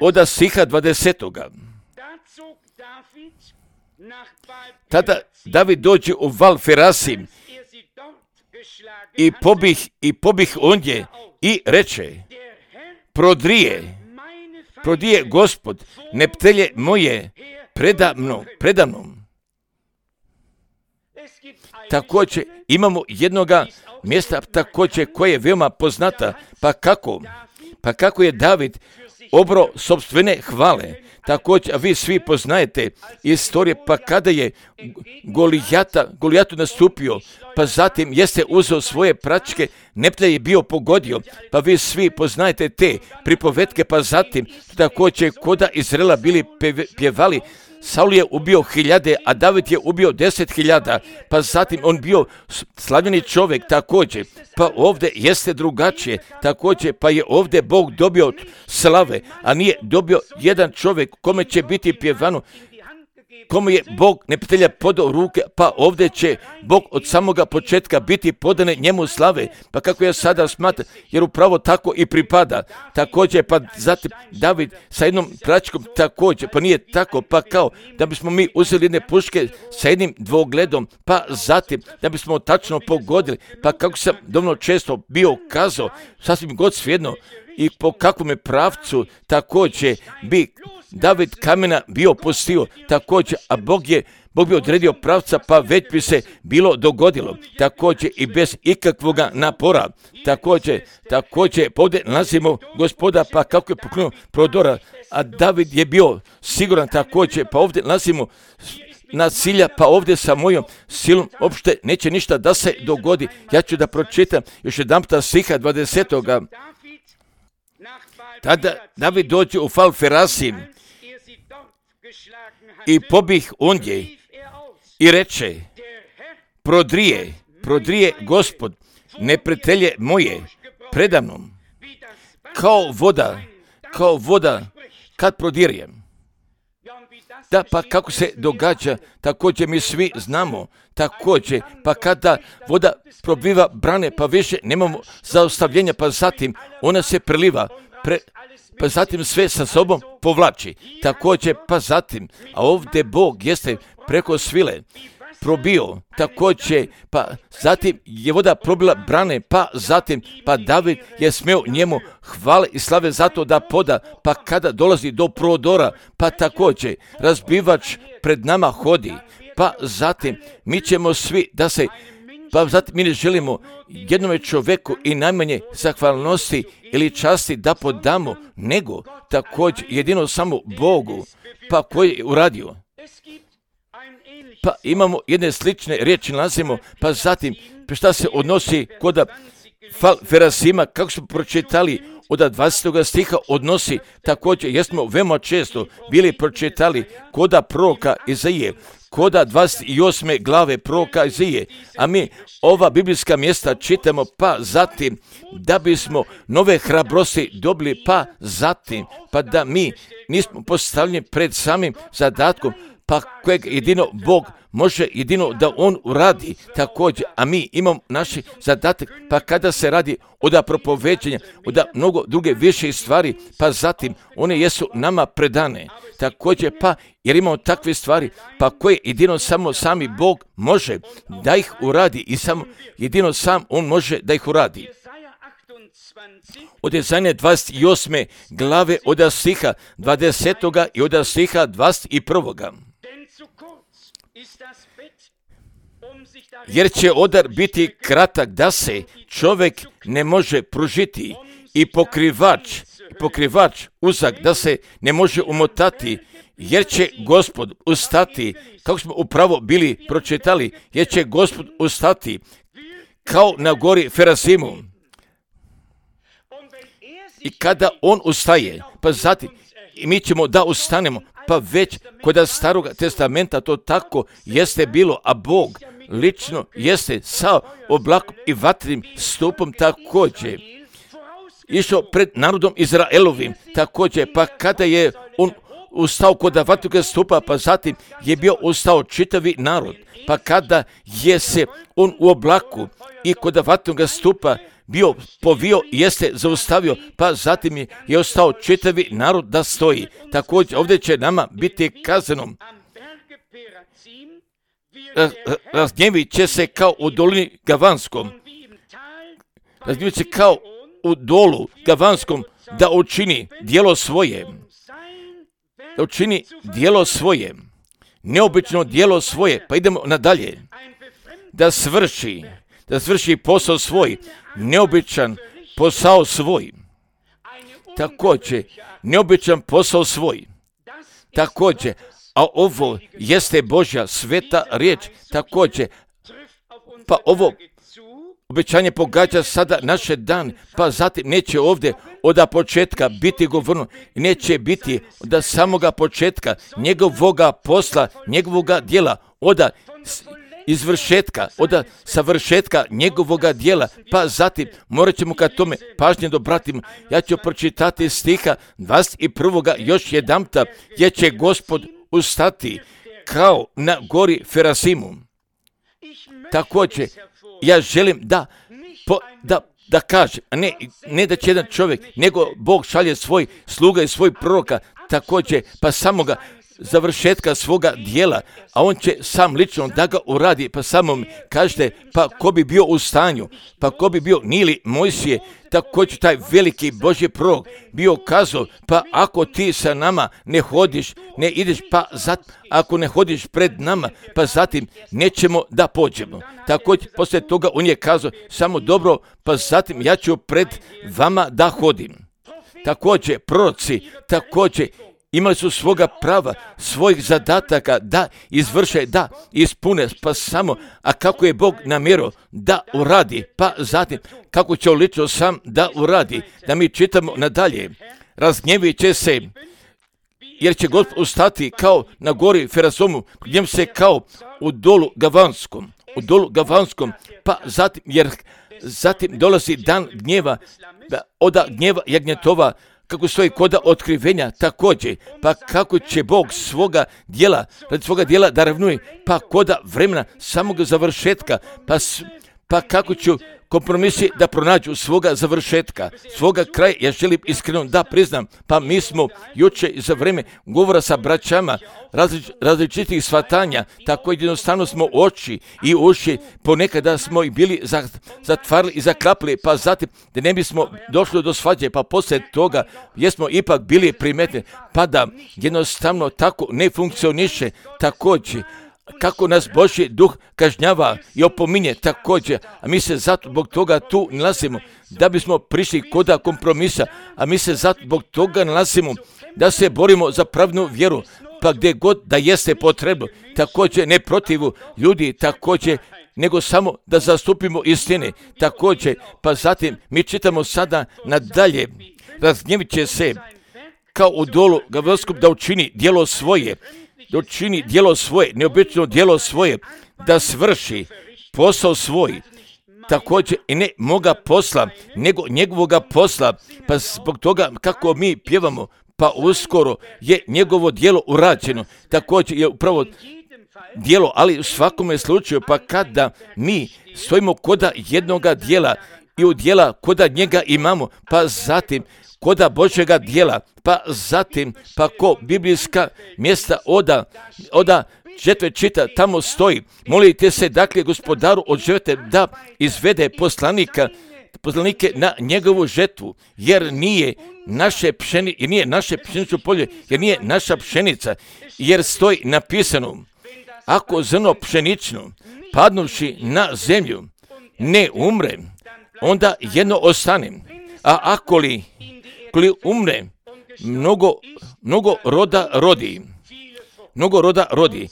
od stiha 20. Tada David dođe u Val Ferasim i pobih ondje i reče: prodrije Gospod neptelje moje preda mnom. Također imamo jednoga mjesta također koje je veoma poznata, pa kako je David obro sopstvene hvale. Također, a vi svi poznajete istorije, pa kada je Golijatu nastupio, pa zatim jeste uzeo svoje pračke, neptelj je bio pogodio, pa vi svi poznajete te pripovetke, pa zatim također koda Izraela bili pjevali, Saul je ubio 1000, a David je ubio 10.000, pa zatim on bio slavljeni čovjek također, pa ovdje jeste drugačije, također pa je ovdje Bog dobio slave, a nije dobio jedan čovjek kome će biti pjevano, kome je Bog neprijatelja podao ruke, pa ovdje će Bog od samoga početka biti podane njemu slave, pa kako ja sada smatram, jer upravo tako i pripada. Također, pa zatim David sa jednom pračkom također, pa nije tako, pa kao da bismo mi uzeli jedne puške sa jednim dvogledom, pa zatim da bismo tačno pogodili, pa kako sam dovoljno često bio kazao, sasvim god svejedno, i po kakvom je pravcu također bi David kamena bio pustio također, a Bog bi odredio pravca, pa već bi se bilo dogodilo. Također i bez ikakvoga napora. Također ovdje nalazimo Gospoda, pa kako je pokrenuo prodora, a David je bio siguran također, pa ovdje nalazimo na cilja, pa ovdje sa mojom silom uopšte neće ništa da se dogodi. Ja ću da pročitam još jedanputa stiha 20. Tada David dođe u Falferasim i pobih ondje i reče, prodrije Gospod neprijatelje moje predamnom, kao voda kad prodirjem. Da, pa kako se događa, također mi svi znamo, također, pa kada voda probiva brane, pa više nemamo zaustavljenja, pa zatim ona se preliva, pa zatim sve sa sobom povlači. Također, pa zatim, a ovdje Bog jeste preko svile probio, također, pa zatim je voda probila brane, pa zatim, pa David je smio njemu hvale i slave zato da poda, pa kada dolazi do prodora, pa također razbivač pred nama hodi, pa zatim mi ćemo svi da se, pa zatim mi ne želimo jednome čovjeku i najmanje zahvalnosti ili časti da podamo, nego također jedino samo Bogu, pa koji je uradio. Pa imamo jedne slične riječi nalazimo, pa zatim šta se odnosi kod Falferasima, kako smo pročitali od 20. stiha odnosi, također jesmo veoma često bili pročitali kod proroka Izaije, kod 28. glave proroka Izaije, a mi ova biblijska mjesta čitamo, pa zatim da bismo nove hrabrosti dobili, pa zatim, pa da mi nismo postavljeni pred samim zadatkom, pa kojeg jedino Bog može jedino da On uradi također, a mi imamo naš zadatak, pa kada se radi od propoveđenja, od mnogo druge više stvari, pa zatim one jesu nama predane, također pa jer imamo takve stvari, pa koje jedino samo sami Bog može da ih uradi i samo jedino sam On može da ih uradi. Od Izaije 28. glave od stiha 20. i od stiha 21. Jer će odar biti kratak da se čovjek ne može pružiti i pokrivač uzak da se ne može umotati, jer će Gospod ustati, kako smo upravo bili pročitali, jer će Gospod ustati kao na gori Ferasimu. I kada On ustaje, pa zatim i mi ćemo da ustanemo, pa već kod Starog testamenta to tako jeste bilo, a Bog lično jeste sa oblakom i vatrenim stupom također išao pred narodom Izraelovim, također, pa kada je On ustao kod vatrenog stupa, pa zatim je bio ustao čitavi narod, pa kada je se On u oblaku i kod vatrenog stupa bio povio, jeste zaustavio, pa zatim je ostao čitavi narod da stoji. Također ovdje će nama biti kazano, razgnjevit će se kao u dolini Gavanskom, razgnjevit se kao u dolu Gavanskom da učini djelo svoje, neobično djelo svoje, pa idemo nadalje, da svrši posao svoj, neobičan posao svoj, također, neobičan posao svoj, također, a ovo jeste Božja sveta riječ, također, pa ovo obećanje pogađa sada naše dan, pa zatim neće ovdje od početka biti govorno, neće biti od samoga početka njegovoga posla, njegovoga djela, od izvršetka, od savršetka njegovoga djela, pa zatim morat ćemo ka tome pažnje dobratimo. Ja ću pročitati stiha 21. još jedanputa, jer će Gospod ustati kao na gori Ferasimu. Također, ja želim da kažem, ne da će jedan čovjek, nego Bog šalje svoj sluga i svoj proroka, također, pa samoga završetka svoga dijela, a On će sam lično da ga uradi, pa samo mi kažete, pa ko bi bio u stanju, pa ko bi bio Nili Mojsije, također taj veliki Božji prorok bio kazao, pa ako ti sa nama ne hodiš, ne ideš, pa ako ne hodiš pred nama, pa zatim nećemo da pođemo. Također, poslije toga on je kazao, samo dobro, pa zatim ja ću pred vama da hodim. Također, proroci, također, imali su svoga prava, svojih zadataka da izvrše, da ispune, pa samo, a kako je Bog namjerao da uradi, pa zatim kako će lično sam da uradi, da mi čitamo nadalje. razgnjevit će se, jer će Gospod ustati kao na gori Ferazomu, gdje se kao u dolu Gavanskom, pa zatim dolazi dan gnjeva, oda gnjeva jagnjetova, kako stoji koda otkrivenja također, pa kako će Bog svoga dijela da ravnuje, pa koda vremena samog završetka, pa kako ću kompromisi da pronađu svoga završetka, svoga kraja. Ja želim iskreno da priznam, pa mi smo juče za vrijeme govora sa braćama različitih shvatanja, tako jednostavno smo oči i uši, ponekada smo i bili zatvarali i zaklapili, pa zatim da ne bismo došli do svađe, pa poslije toga jesmo ipak bili primetni, pa da jednostavno tako ne funkcioniše također. Kako nas Božji duh kažnjava i opominje također, a mi se zato zbog toga tu nalazimo, da bismo prišli koda kompromisa, a mi se zato zbog toga nalazimo, da se borimo za pravnu vjeru, pa gdje god da jeste potrebno, također ne protivu ljudi, također, nego samo da zastupimo istine, također, pa zatim mi čitamo sada nadalje, razgnjevit će se kao u dolu Gavanskom da učini djelo svoje, neobično djelo svoje, da svrši posao svoj, također i ne moga posla, nego njegovoga posla, pa zbog toga kako mi pjevamo, pa uskoro je njegovo djelo urađeno, također je upravo djelo, ali u svakome slučaju, pa kada mi stojimo koda jednoga djela i u djela koda njega imamo, pa zatim koda Božjega djela, pa zatim, pa ko biblijska mjesta oda žetve čita, tamo stoji, molite se dakle gospodaru od žetve da izvede poslanike na njegovu žetvu, jer nije naše pšenično polje, jer nije naša pšenica, jer stoji napisano, ako zrno pšenično padnuvši na zemlju ne umre, onda jedno ostane, a ako li umre, mnogo roda rodi,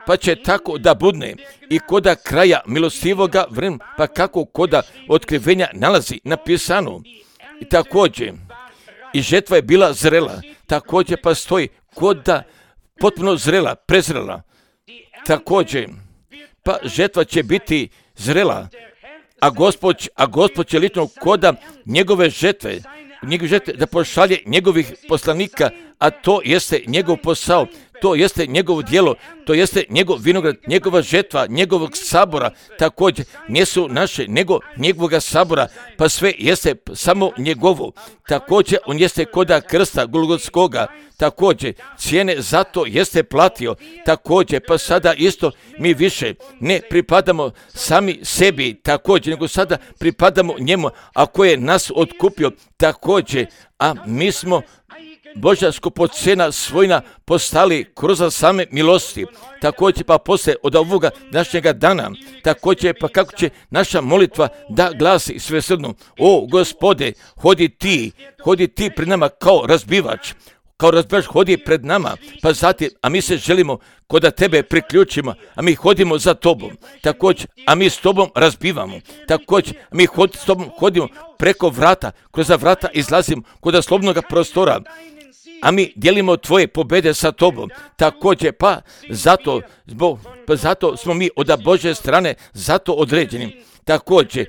pa će tako da budne i koda kraja milostivoga vremena, pa kako koda otkrivenja nalazi napisano. I također, i žetva je bila zrela, također pa stoji koda potpuno prezrela, također, pa žetva će biti zrela, a Gospod će lično koda njegove žetve da pošalje njegovih poslanika, a to jeste njegov posao, to jeste njegovo djelo, to jeste njegov vinograd, njegova žetva, njegovog sabora, također nisu naše, nego njegovoga sabora, pa sve jeste samo njegovo, također on jeste koda krsta Golgotskoga, također cijene zato jeste platio, također pa sada isto mi više ne pripadamo sami sebi, također, nego sada pripadamo njemu, a koji je nas otkupio, također, a mi smo Božja skupocjena svojna postali kroz same milosti, također pa poslije od ovoga današnjega dana, također pa kako će naša molitva da glasi svesrdno, o Gospode, hodi ti pred nama kao razbivač hodi pred nama, pa zatim, a mi se želimo koda tebe priključimo, a mi hodimo za tobom, također, a mi s tobom razbivamo, također, a mi s tobom hodimo preko vrata, kroz vrata izlazimo koda slobodnog prostora, a mi dijelimo tvoje pobjede sa tobom, također, pa zato smo mi od Božje strane zato određeni. Također,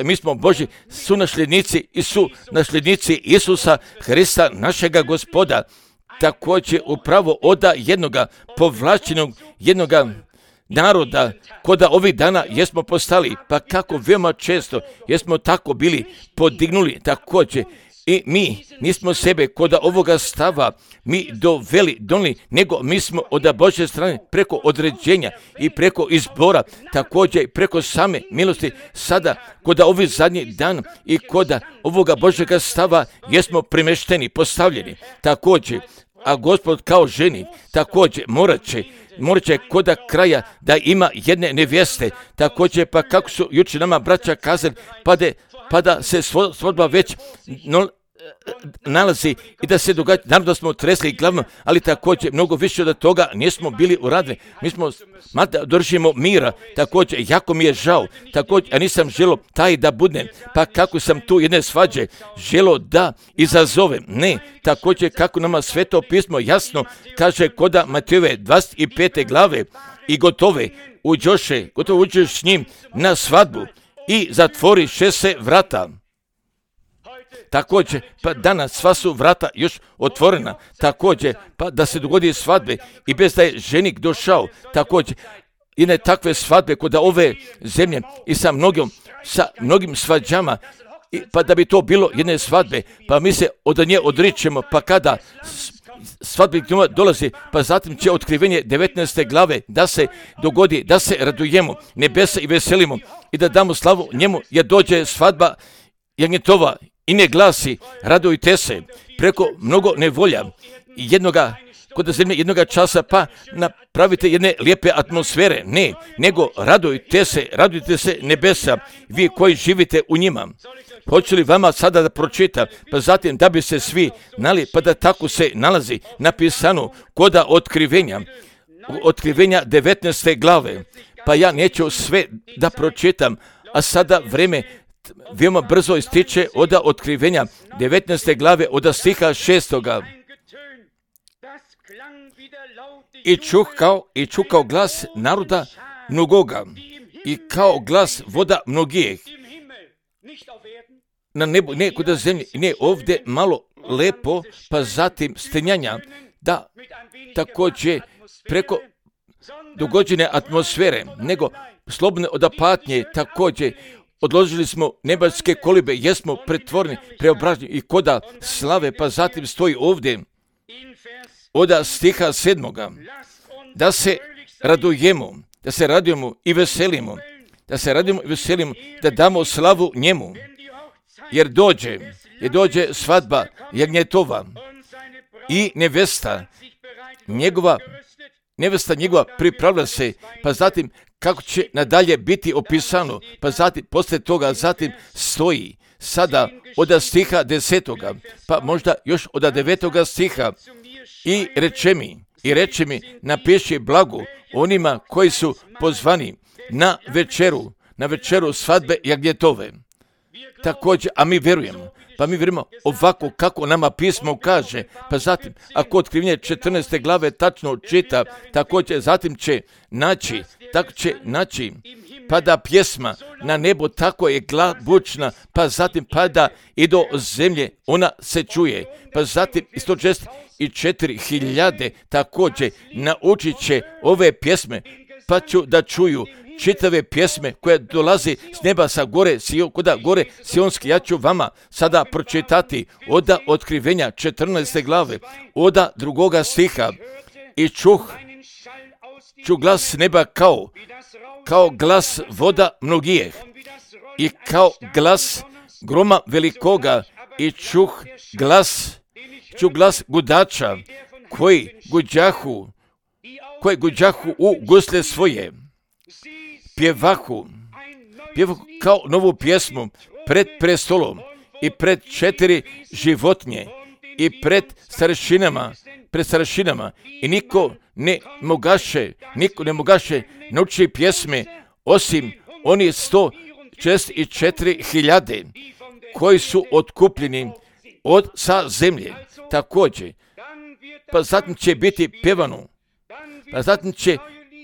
mi smo Božji sunasljednici i sunasljednici Isusa Hrista, našega Gospoda. Također, upravo od jednoga povlačenog, jednoga naroda, koda ovih dana jesmo postali, pa kako veoma često jesmo tako bili podignuli, također, i mi nismo sebe koda ovoga stava mi donijeli, nego mi smo od Božje strane preko određenja i preko izbora, također i preko same milosti, sada koda ovi zadnji dan i koda ovoga Božjega stava jesmo primešteni, postavljeni, također, a Gospod kao ženi, također morat će koda kraja da ima jedne nevjeste, također pa kako su jučer nama braća kazali, pa da se svadba već nalazi i da se događa, naravno da smo tresli glavno, ali također mnogo više od toga nismo bili uradili. Mi smo, mada držimo mira, također, jako mi je žao, također, a nisam želo taj da budem, pa kako sam tu jedne svađe želo da izazovem, ne, također kako nama Sveto pismo jasno kaže koda Matejove 25. glave i gotovo uđeš s njim na svadbu i zatvoriše se vrata. Također, pa danas sva su vrata još otvorena, također, pa da se dogodi svadbe i bez da je ženik došao, također, jedne takve svadbe kod ove zemlje i sa mnogim svađama, pa da bi to bilo jedne svadbe, pa mi se od nje odričemo, pa kada svadbeni dolazi, pa zatim će otkrivenje 19. glave da se dogodi, da se radujemo nebesa i veselimo i da damo slavu njemu, jer dođe svadba jagnjetova i ne glasi, radujte se, preko mnogo nevolja kod zemlje jednoga časa, pa napravite jedne lijepe atmosfere, ne, nego radujte se nebesa, vi koji živite u njima. Hoću li vama sada da pročita, pa zatim da bi se svi znali, pa da tako se nalazi napisano koda otkrivenja 19. glave, pa ja neću sve da pročitam, a sada vreme veoma brzo ističe od otkrivenja 19. glave od stiha 6. I čuh kao glas naroda mnogoga i kao glas voda mnogih na nebu, ne kod zemlje, ne ovdje malo lepo, pa zatim stenjanja, da također preko dogođene atmosfere, nego slobodne od patnje, također odložili smo nebeske kolibe, jesmo pretvoreni, preobraženi i koda slave, pa zatim stoji ovdje od stiha 7. Da se radujemo i veselimo, da damo slavu njemu, jer dođe svadba jagnjetova i nevesta njegova pripravlja se, pa zatim kako će nadalje biti opisano, pa zatim poslije toga stoji sada od stiha 10. pa možda još od 9. stiha i reče mi napiši blago onima koji su pozvani na večeru svadbe jagnjetove. Također, a mi vjerujemo ovako kako nama pismo kaže, pa zatim ako otkrivenje 14. glave tačno čita, također zatim će naći, pada pjesma na nebo, tako je bučna, pa zatim pada i do zemlje, ona se čuje, pa zatim 164.000 također naučit će ove pjesme, pa ću da čuju čitave pjesme koje dolazi s neba sa gore, kuda gore sionski. Ja ću vama sada pročitati od otkrivenja 14. glave, od 2. stiha. I čuh glas neba kao glas voda mnogih i kao glas groma velikoga i čuh glas gudača koji guđahu u gusle svoje. Pjevahu kao novu pjesmu pred prestolom i pred 4 životinje i pred starešinama i niko ne mogaše naučiti pjesme osim oni 164.000 koji su otkupljeni sa zemlje. Također, pa zatim će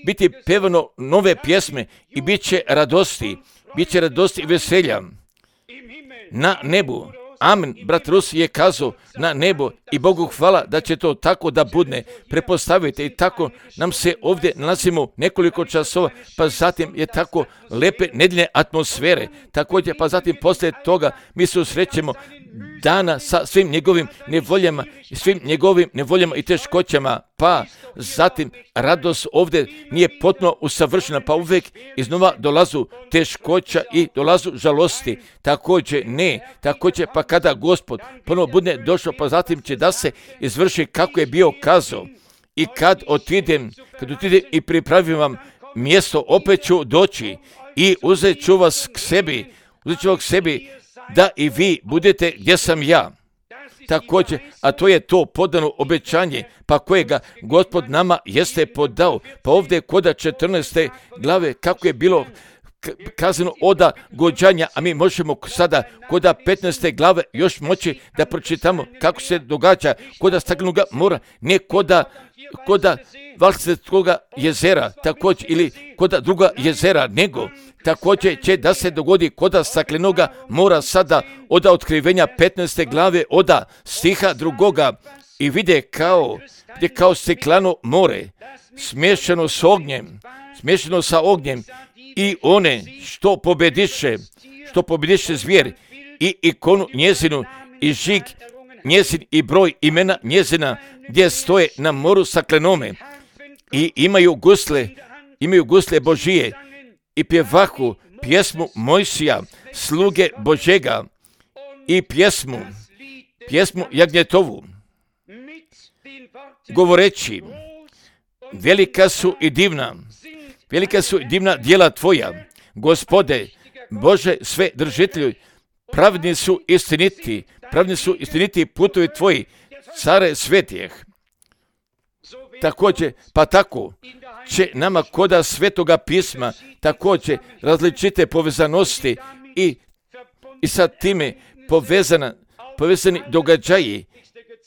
biti pevano nove pjesme i bit će radosti i veselja na nebu. Amen, brat Rus je kazao na nebo i Bogu hvala da će to tako da budne. Prepostavite i tako nam se ovdje nalazimo nekoliko časova, pa zatim je tako lepe nedeljne atmosfere. Također, pa zatim poslije toga mi se usrećemo dana sa svim njegovim nevoljama i teškoćama, pa zatim radost ovdje nije potpuno usavršena, pa uvijek iznova dolazu teškoća i dolazu žalosti. Također pa kada Gospod ponovo bude došao, pa zatim će da se izvrši kako je bio kazao. I kad otidem i pripravim vam mjesto, opet ću doći i uzet ću vas k sebi, da i vi budete gdje sam ja. također, a to je to podano obećanje, pa kojega Gospod nama jeste podao. Pa ovdje koda 14. glave kako je bilo kazano oda gođanja, a mi možemo sada koda 15. glave još moći da pročitamo kako se događa koda staklenog mora, ne koda Valsetskoga jezera, također, ili koda druga jezera, nego također će da se dogodi koda staklenoga mora sada oda otkrivenja 15. glave oda stiha 2. i vide kao stiklano more smješano sa ognjem i one što pobediše zvijer i ikonu njezinu i žig njezin i broj imena njezina gdje stoje na moru staklenome i imaju gusle Božije i pjevahu pjesmu Mojsija sluge Božega i pjesmu Jagnjetovu govoreći velika su i divna djela tvoja, Gospode Bože sve držitelju, pravedni su istiniti putovi tvoji, care svetijeh. Također, pa tako će nama koda svetoga pisma također različite povezanosti i sa time povezani događaji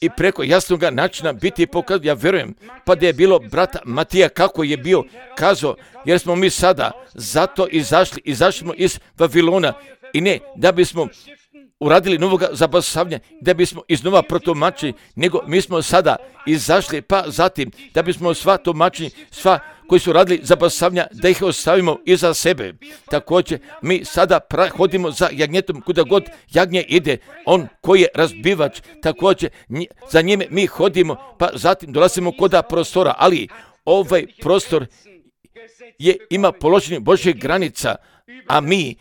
i preko jasnog načina biti pokazano. Ja vjerujem, pa da je bilo brata Matija kako je bio kazao, jer smo mi sada zato izašli smo iz Vavilona i ne da bismo uradili novoga zabasavanja, da bismo iznova protumačili, nego mi smo sada izašli, pa zatim da bismo sva tumačenja, sva koji su radili zabasavanja, da ih ostavimo iza sebe. Također, mi sada hodimo za jagnjetom, kuda god jagnje ide, on koji je razbivač, također za njime mi hodimo, pa zatim dolazimo koda prostora, ali ovaj prostor ima položenih Božjih granica, a mi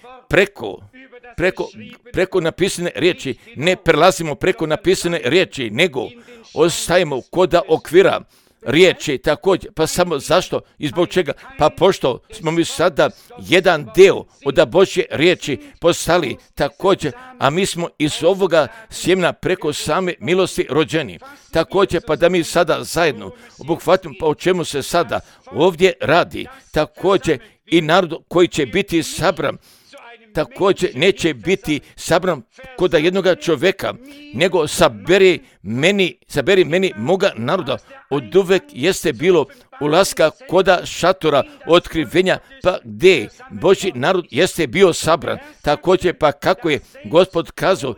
preko napisane riječi ne prelazimo preko napisane riječi, nego ostajemo koda okvira riječi također. Pa samo zašto i zbog čega? Pa pošto smo mi sada jedan deo od Božje riječi postali također, a mi smo iz ovoga sjemena preko same milosti rođeni. Također, pa da mi sada zajedno obuhvatimo pa o čemu se sada ovdje radi. Također i narod koji će biti sabran također neće biti sabran koda jednoga čovjeka, nego saberi meni moga naroda. Od uvek jeste bilo ulaska koda šatora otkrivenja, pa gdje Božji narod jeste bio sabran. Također, pa kako je Gospod kazao,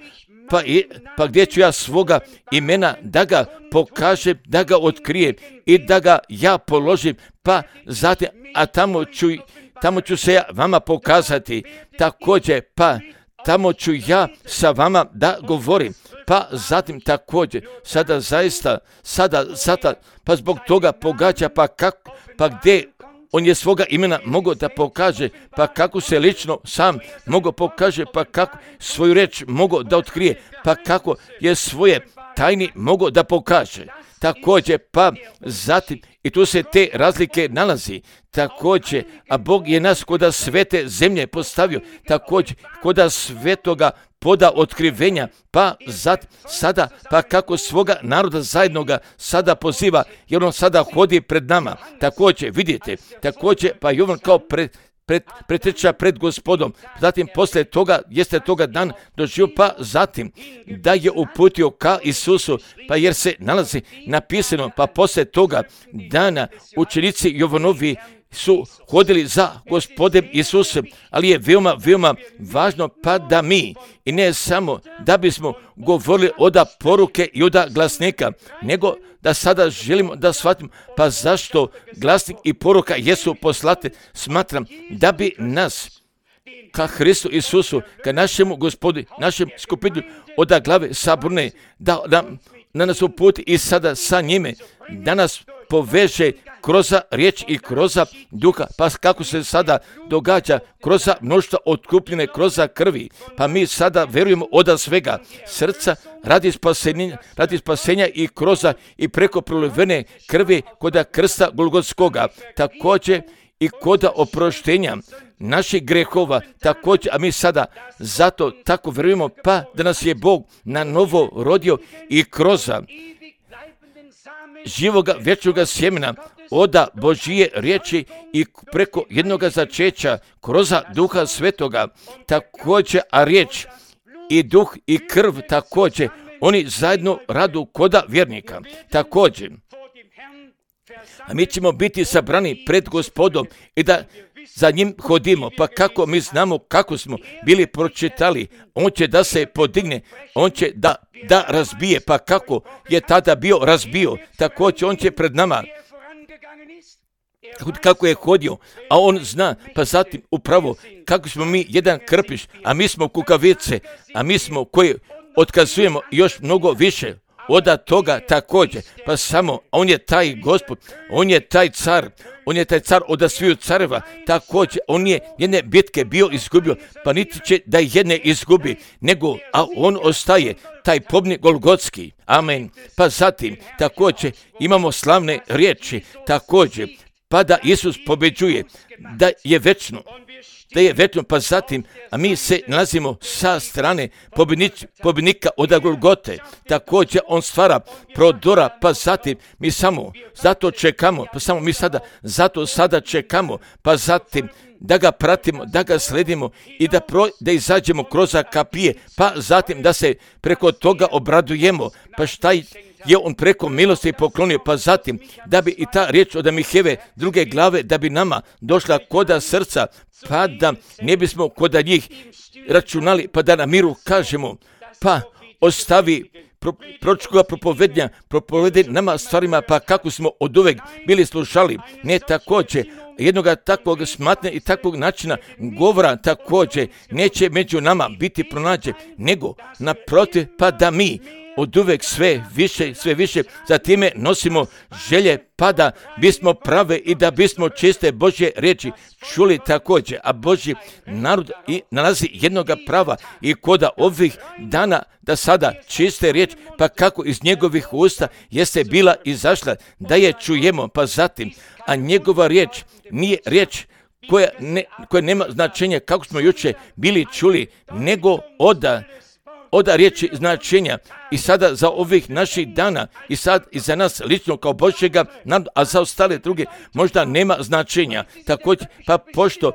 pa gdje ću ja svoga imena da ga pokažem, da ga otkrijem i da ga ja položim, pa zatim, a tamo ću se ja vama pokazati, također, pa tamo ću ja sa vama da govorim, pa zatim također, sada, pa zbog toga pogađa, pa gdje on je svoga imena mogao da pokaže, pa kako se lično sam mogao pokaže, pa kako svoju reč mogao da otkrije, pa kako je svoje tajni mogao da pokaže. Također, pa zatim, i tu se te razlike nalazi, također, a Bog je nas koda svete zemlje postavio, također, koda svetoga poda otkrivenja, pa sada, pa kako svoga naroda zajednoga sada poziva, jer on sada hodi pred nama, također, vidite, također, pa i on kao preteča pred Gospodom, zatim poslije toga, jeste toga dan doživio, pa zatim da je uputio ka Isusu, pa jer se nalazi napisano, pa poslije toga dana učenici Jovanovi su hodili za Gospodem Isusom, ali je veoma važno pa da mi, i ne samo da bismo govorili oda poruke i oda glasnika, nego da sada želimo da shvatimo, pa zašto glasnik i poruka jesu poslate, smatram da bi nas ka Hristu Isusu, ka našemu Gospodu, našem skupinu oda glave saborne, da nas uputi i sada sa njime, da nas poveže kroz riječ i kroz duha, pa kako se sada događa kroz mnoštvo otkupljene kroz krvi, pa mi sada verujemo od svega srca radi spasenja i kroz i preko prolivene krvi kod krsta Golgotskoga, također i koda oproštenja naših grehova također, a mi sada zato tako vjerujemo, pa da nas je Bog na novo rodio i kroz živoga vječnoga sjemena oda Božije riječi i preko jednoga začeća kroz Duha Svetoga također, a riječ i duh i krv također, oni zajedno radu koda vjernika također. A mi ćemo biti sabrani pred Gospodom i da za njim hodimo, pa kako mi znamo kako smo bili pročitali, on će da se podigne, on će da razbije, pa kako je tada bio razbio, također on će pred nama, kako je hodio, a on zna, pa zatim upravo kako smo mi jedan krpiš, a mi smo kukavice, a mi smo koji otkazujemo još mnogo više od toga također, pa samo on je taj Gospod, on je taj car od sviju careva, također on je jedne bitke bio izgubio, pa niti će da jedne izgubi, nego, a on ostaje taj pobjednik Golgotski, amen. Pa zatim također imamo slavne riječi, također, pa da Isus pobjeđuje, da je večno, pa zatim, a mi se nalazimo sa strane pobjednika od Golgote, također on stvara prodora, pa zatim mi samo zato čekamo, pa samo mi sada čekamo, pa zatim da ga pratimo, da ga sledimo i da izađemo kroz kapije, pa zatim da se preko toga obradujemo, pa šta je on preko milosti poklonio, pa zatim da bi i ta riječ od Miheve druge glave da bi nama došla koda srca, pa da ne bismo koda njih računali, pa da na miru kažemo, pa ostavi proročkoga propovedi nama stvarima, pa kako smo oduvek bili slušali, ne također jednoga takvog smatne i takvog načina govora također neće među nama biti pronađen, nego naprotiv, pa da mi oduvek sve više za time nosimo želje, pa da bismo prave i da bismo čiste Božje riječi čuli također, a Božji narod i nalazi jednoga prava i koda ovih dana da sada čiste riječ, pa kako iz njegovih usta jeste bila izašla, da je čujemo, pa zatim, a njegova riječ nije riječ koja nema značenja kako smo jučer bili čuli, nego oda riječi značenja i sada za ovih naših dana i sad i za nas lično kao Božjega naroda, a za ostale druge možda nema značenja. Također, pa pošto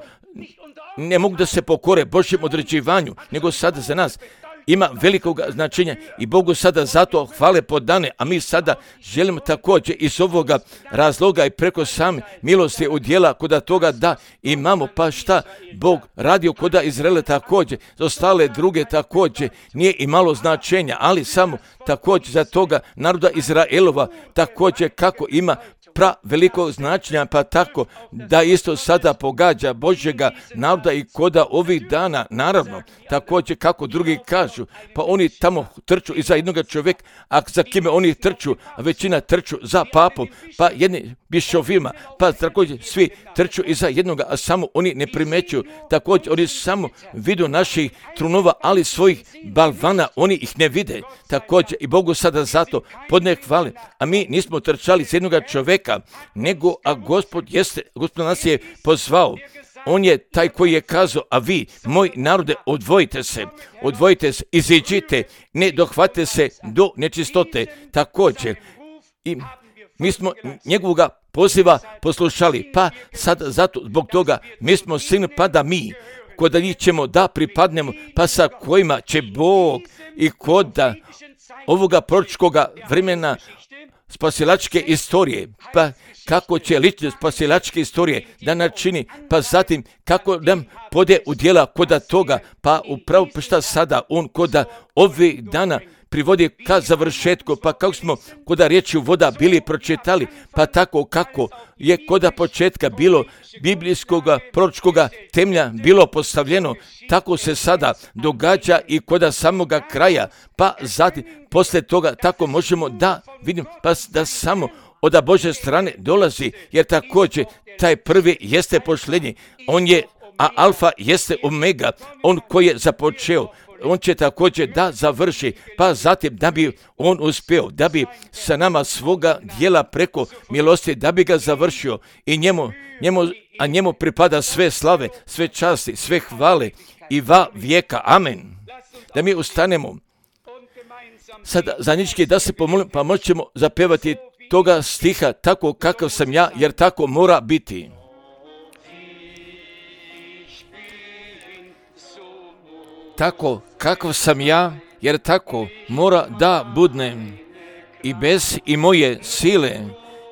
ne mogu da se pokore Božjem određivanju, nego sada za nas ima velikog značenja i Bogu sada zato hvale podane, a mi sada želimo također iz ovoga razloga i preko same milosti udjela koda toga da imamo, pa šta Bog radio koda Izraela također, za ostale druge također nije imalo značenja, ali samo također za toga naroda Izraelova također kako ima velikog značenja, pa tako da isto sada pogađa Božjega naroda i koda ovih dana, naravno, također kako drugi kažu, pa oni tamo trču iza jednoga čovjeka, a za kime oni trču, a većina trču za papom, pa jedni bišovima, pa također svi trču iza jednoga, a samo oni ne primećuju, također oni samo vidu naših trunova, ali svojih balvana oni ih ne vide, također i Bogu sada zato podne hvale, a mi nismo trčali iz jednoga čovjeka, nego a Gospod nas je pozvao. On je taj koji je kazao, a vi, moj narode, odvojite se, iziđite, ne dohvate se do nečistote. Također, i mi smo njegovoga poziva poslušali, pa sad zato zbog toga mi smo sin, pa da mi, kod njih ćemo da pripadnemo, pa sa kojima će Bog i kod ovoga proročkoga vremena spasilačke istorije, pa kako će ličnost spasilačke istorije da načini, pa zatim kako nam pode u djela koda toga, pa upravo šta sada on koda ovih dana privodi ka završetku, pa kako smo koda riječi voda bili pročitali, pa tako kako je koda početka bilo biblijskoga proročkoga temelja bilo postavljeno, tako se sada događa i koda samoga kraja, pa zatim poslije toga tako možemo da vidimo, pa da samo od Božje strane dolazi, jer također taj prvi jeste pošljenje, on je a alfa jeste omega, on koji je započeo, on će također da završi, pa zatim da bi on uspio, da bi sa nama svoga dijela preko milosti, da bi ga završio i njemu pripada sve slave, sve časti, sve hvale i va vijeka. Amen. Da mi ustanemo sad zajednički da se pomolimo, pa možemo zapevati toga stiha tako kakav sam ja, jer tako mora biti. Tako kakav sam ja, jer tako mora da budnem i bez i moje sile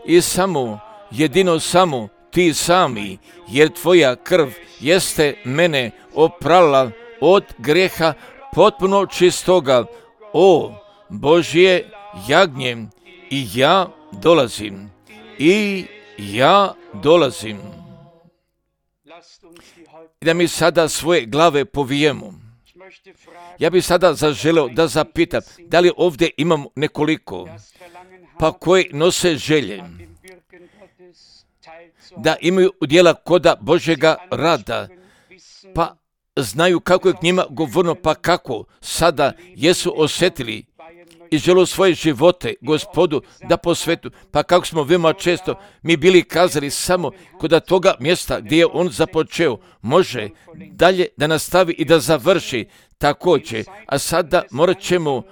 i samo, jedino samo ti sami, jer tvoja krv jeste mene oprala od greha potpuno čistoga. O Božje jagnje, i ja dolazim. I da mi sada svoje glave povijemo. Ja bih sada zaželeo da zapitam, da li ovdje imamo nekoliko, pa koji nose želje, da imaju udjela koda Božjega rada, pa znaju kako je k njima govorno, pa kako sada jesu osjetili i žele svoje živote Gospodu da posvetu, pa kako smo veoma često mi bili kazali samo kod toga mjesta gdje je on započeo, može dalje da nastavi i da završi također, a sada morat ćemo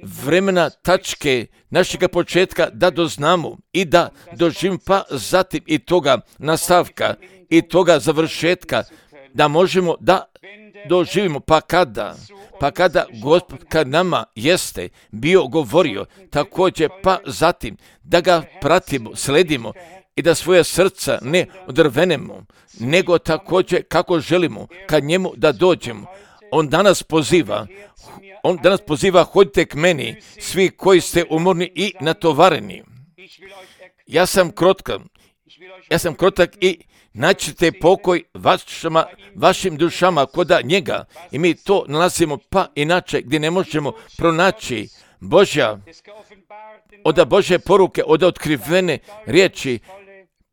vremena tačke našega početka da doznamo i da doživimo, pa zatim i toga nastavka i toga završetka, da možemo da doživimo, pa kada Gospod kad nama jeste bio govorio također, pa zatim da ga pratimo, sledimo i da svoje srca ne odrvenemo, nego također kako želimo kad njemu da dođemo. On danas poziva, hodite k meni, svi koji ste umorni i natovareni. Ja sam krotak i naćete pokoj vašim dušama koda njega. I mi to nalazimo, pa inače gdje ne možemo pronaći od Božje poruke, od otkrivene riječi,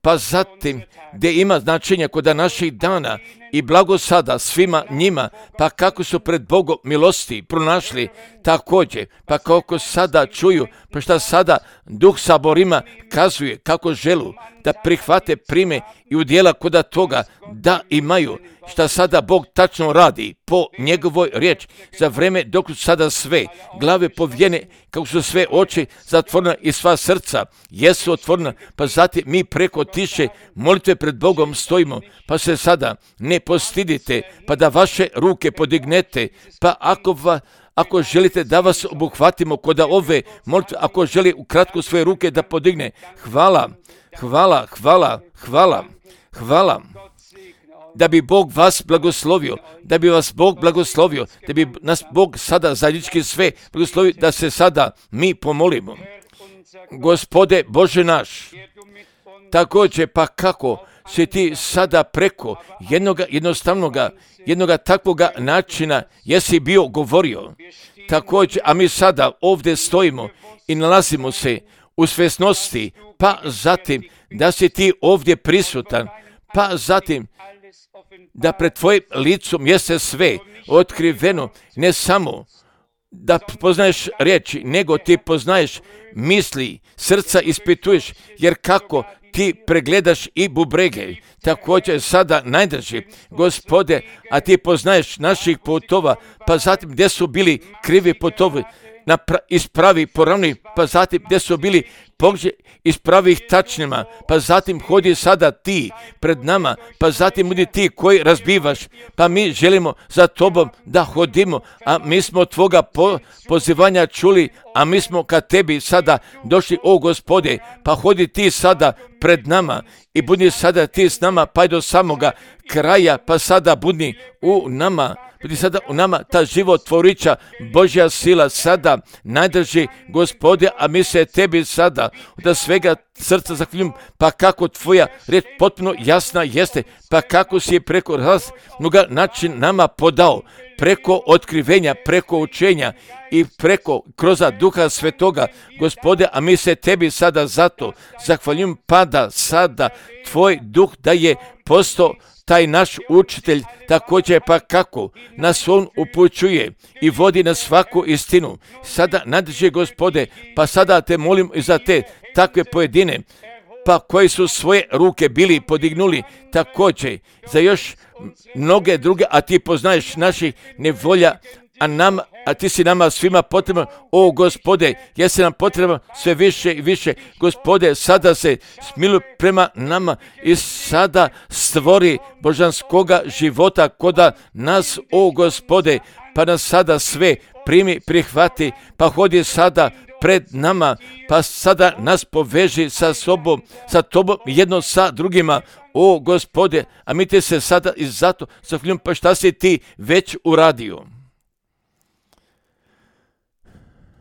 pa zatim gdje ima značenja koda naših dana i blagosada svima njima, pa kako su pred Bogom milosti pronašli također, pa kako sada čuju, pa šta sada Duh saborima kazuje kako želu da prihvate, prime i udjela koda toga da imaju, šta sada Bog tačno radi po njegovoj riječi za vreme dok su sada sve glave povijene, kako su sve oči zatvorena i sva srca jesu otvorena, pa zatim mi preko tiše molitve pred Bogom stojimo, pa se sada ne postidite, pa da vaše ruke podignete, pa ako želite da vas obuhvatimo kod ove molitve, ako želi ukratko svoje ruke da podigne, hvala, da bi Bog vas blagoslovio, da bi nas Bog sada zajednički sve blagoslovio, da se sada mi pomolimo. Gospode Bože naš, također pa kako si ti sada preko jednoga takvoga načina jesi bio govorio, također, a mi sada ovdje stojimo i nalazimo se u svjesnosti, pa zatim da si ti ovdje prisutan, pa zatim da pred tvojim licom jeste sve otkriveno, ne samo da poznaješ riječi, nego ti poznaješ misli, srca ispituješ, jer kako ti pregledaš i bubrege, također sada najdrži, Gospode, a ti poznaješ naših putova, pa zatim gdje su bili krivi putovi, ispravi poravni, pa zatim gdje su bili pogđe, ispravi ih tačnima, pa zatim hodi sada ti pred nama, pa zatim budi ti koji razbivaš, pa mi želimo za tobom da hodimo, a mi smo tvoga pozivanja čuli, a mi smo ka tebi sada došli, o Gospode, pa hodi ti sada pred nama i budi sada ti s nama, pa i do samoga kraja, pa sada budi u nama. Budi sada u nama ta živottvorića Božja sila sada najdrži, Gospode, a mi se tebi sada od svega srca zahvaljujem, pa kako tvoja riječ potpuno jasna jeste, pa kako si je preko raznoga način nama podao, preko otkrivenja, preko učenja i kroz Duha Svetoga, Gospode, a mi se tebi sada zato zahvaljujem, pa da sada tvoj duh da je postao taj naš učitelj također pa kako nas on upućuje i vodi na svaku istinu. Sada nadrži Gospode, pa sada te molim i za te takve pojedine, pa koji su svoje ruke bili podignuli također za još mnoge druge, a ti poznaješ naših nevolja, a ti si nama svima potreban, o Gospode, jesi nam potreban sve više i više. Gospode, sada se smiluj prema nama i sada stvori božanskoga života koda nas, o Gospode, pa nas sada sve primi, prihvati, pa hodi sada pred nama, pa sada nas poveži sa sobom, sa tobom, jedno sa drugima, o Gospode, a mi te se sada i zato zahvaljujem, pa šta si ti već uradio.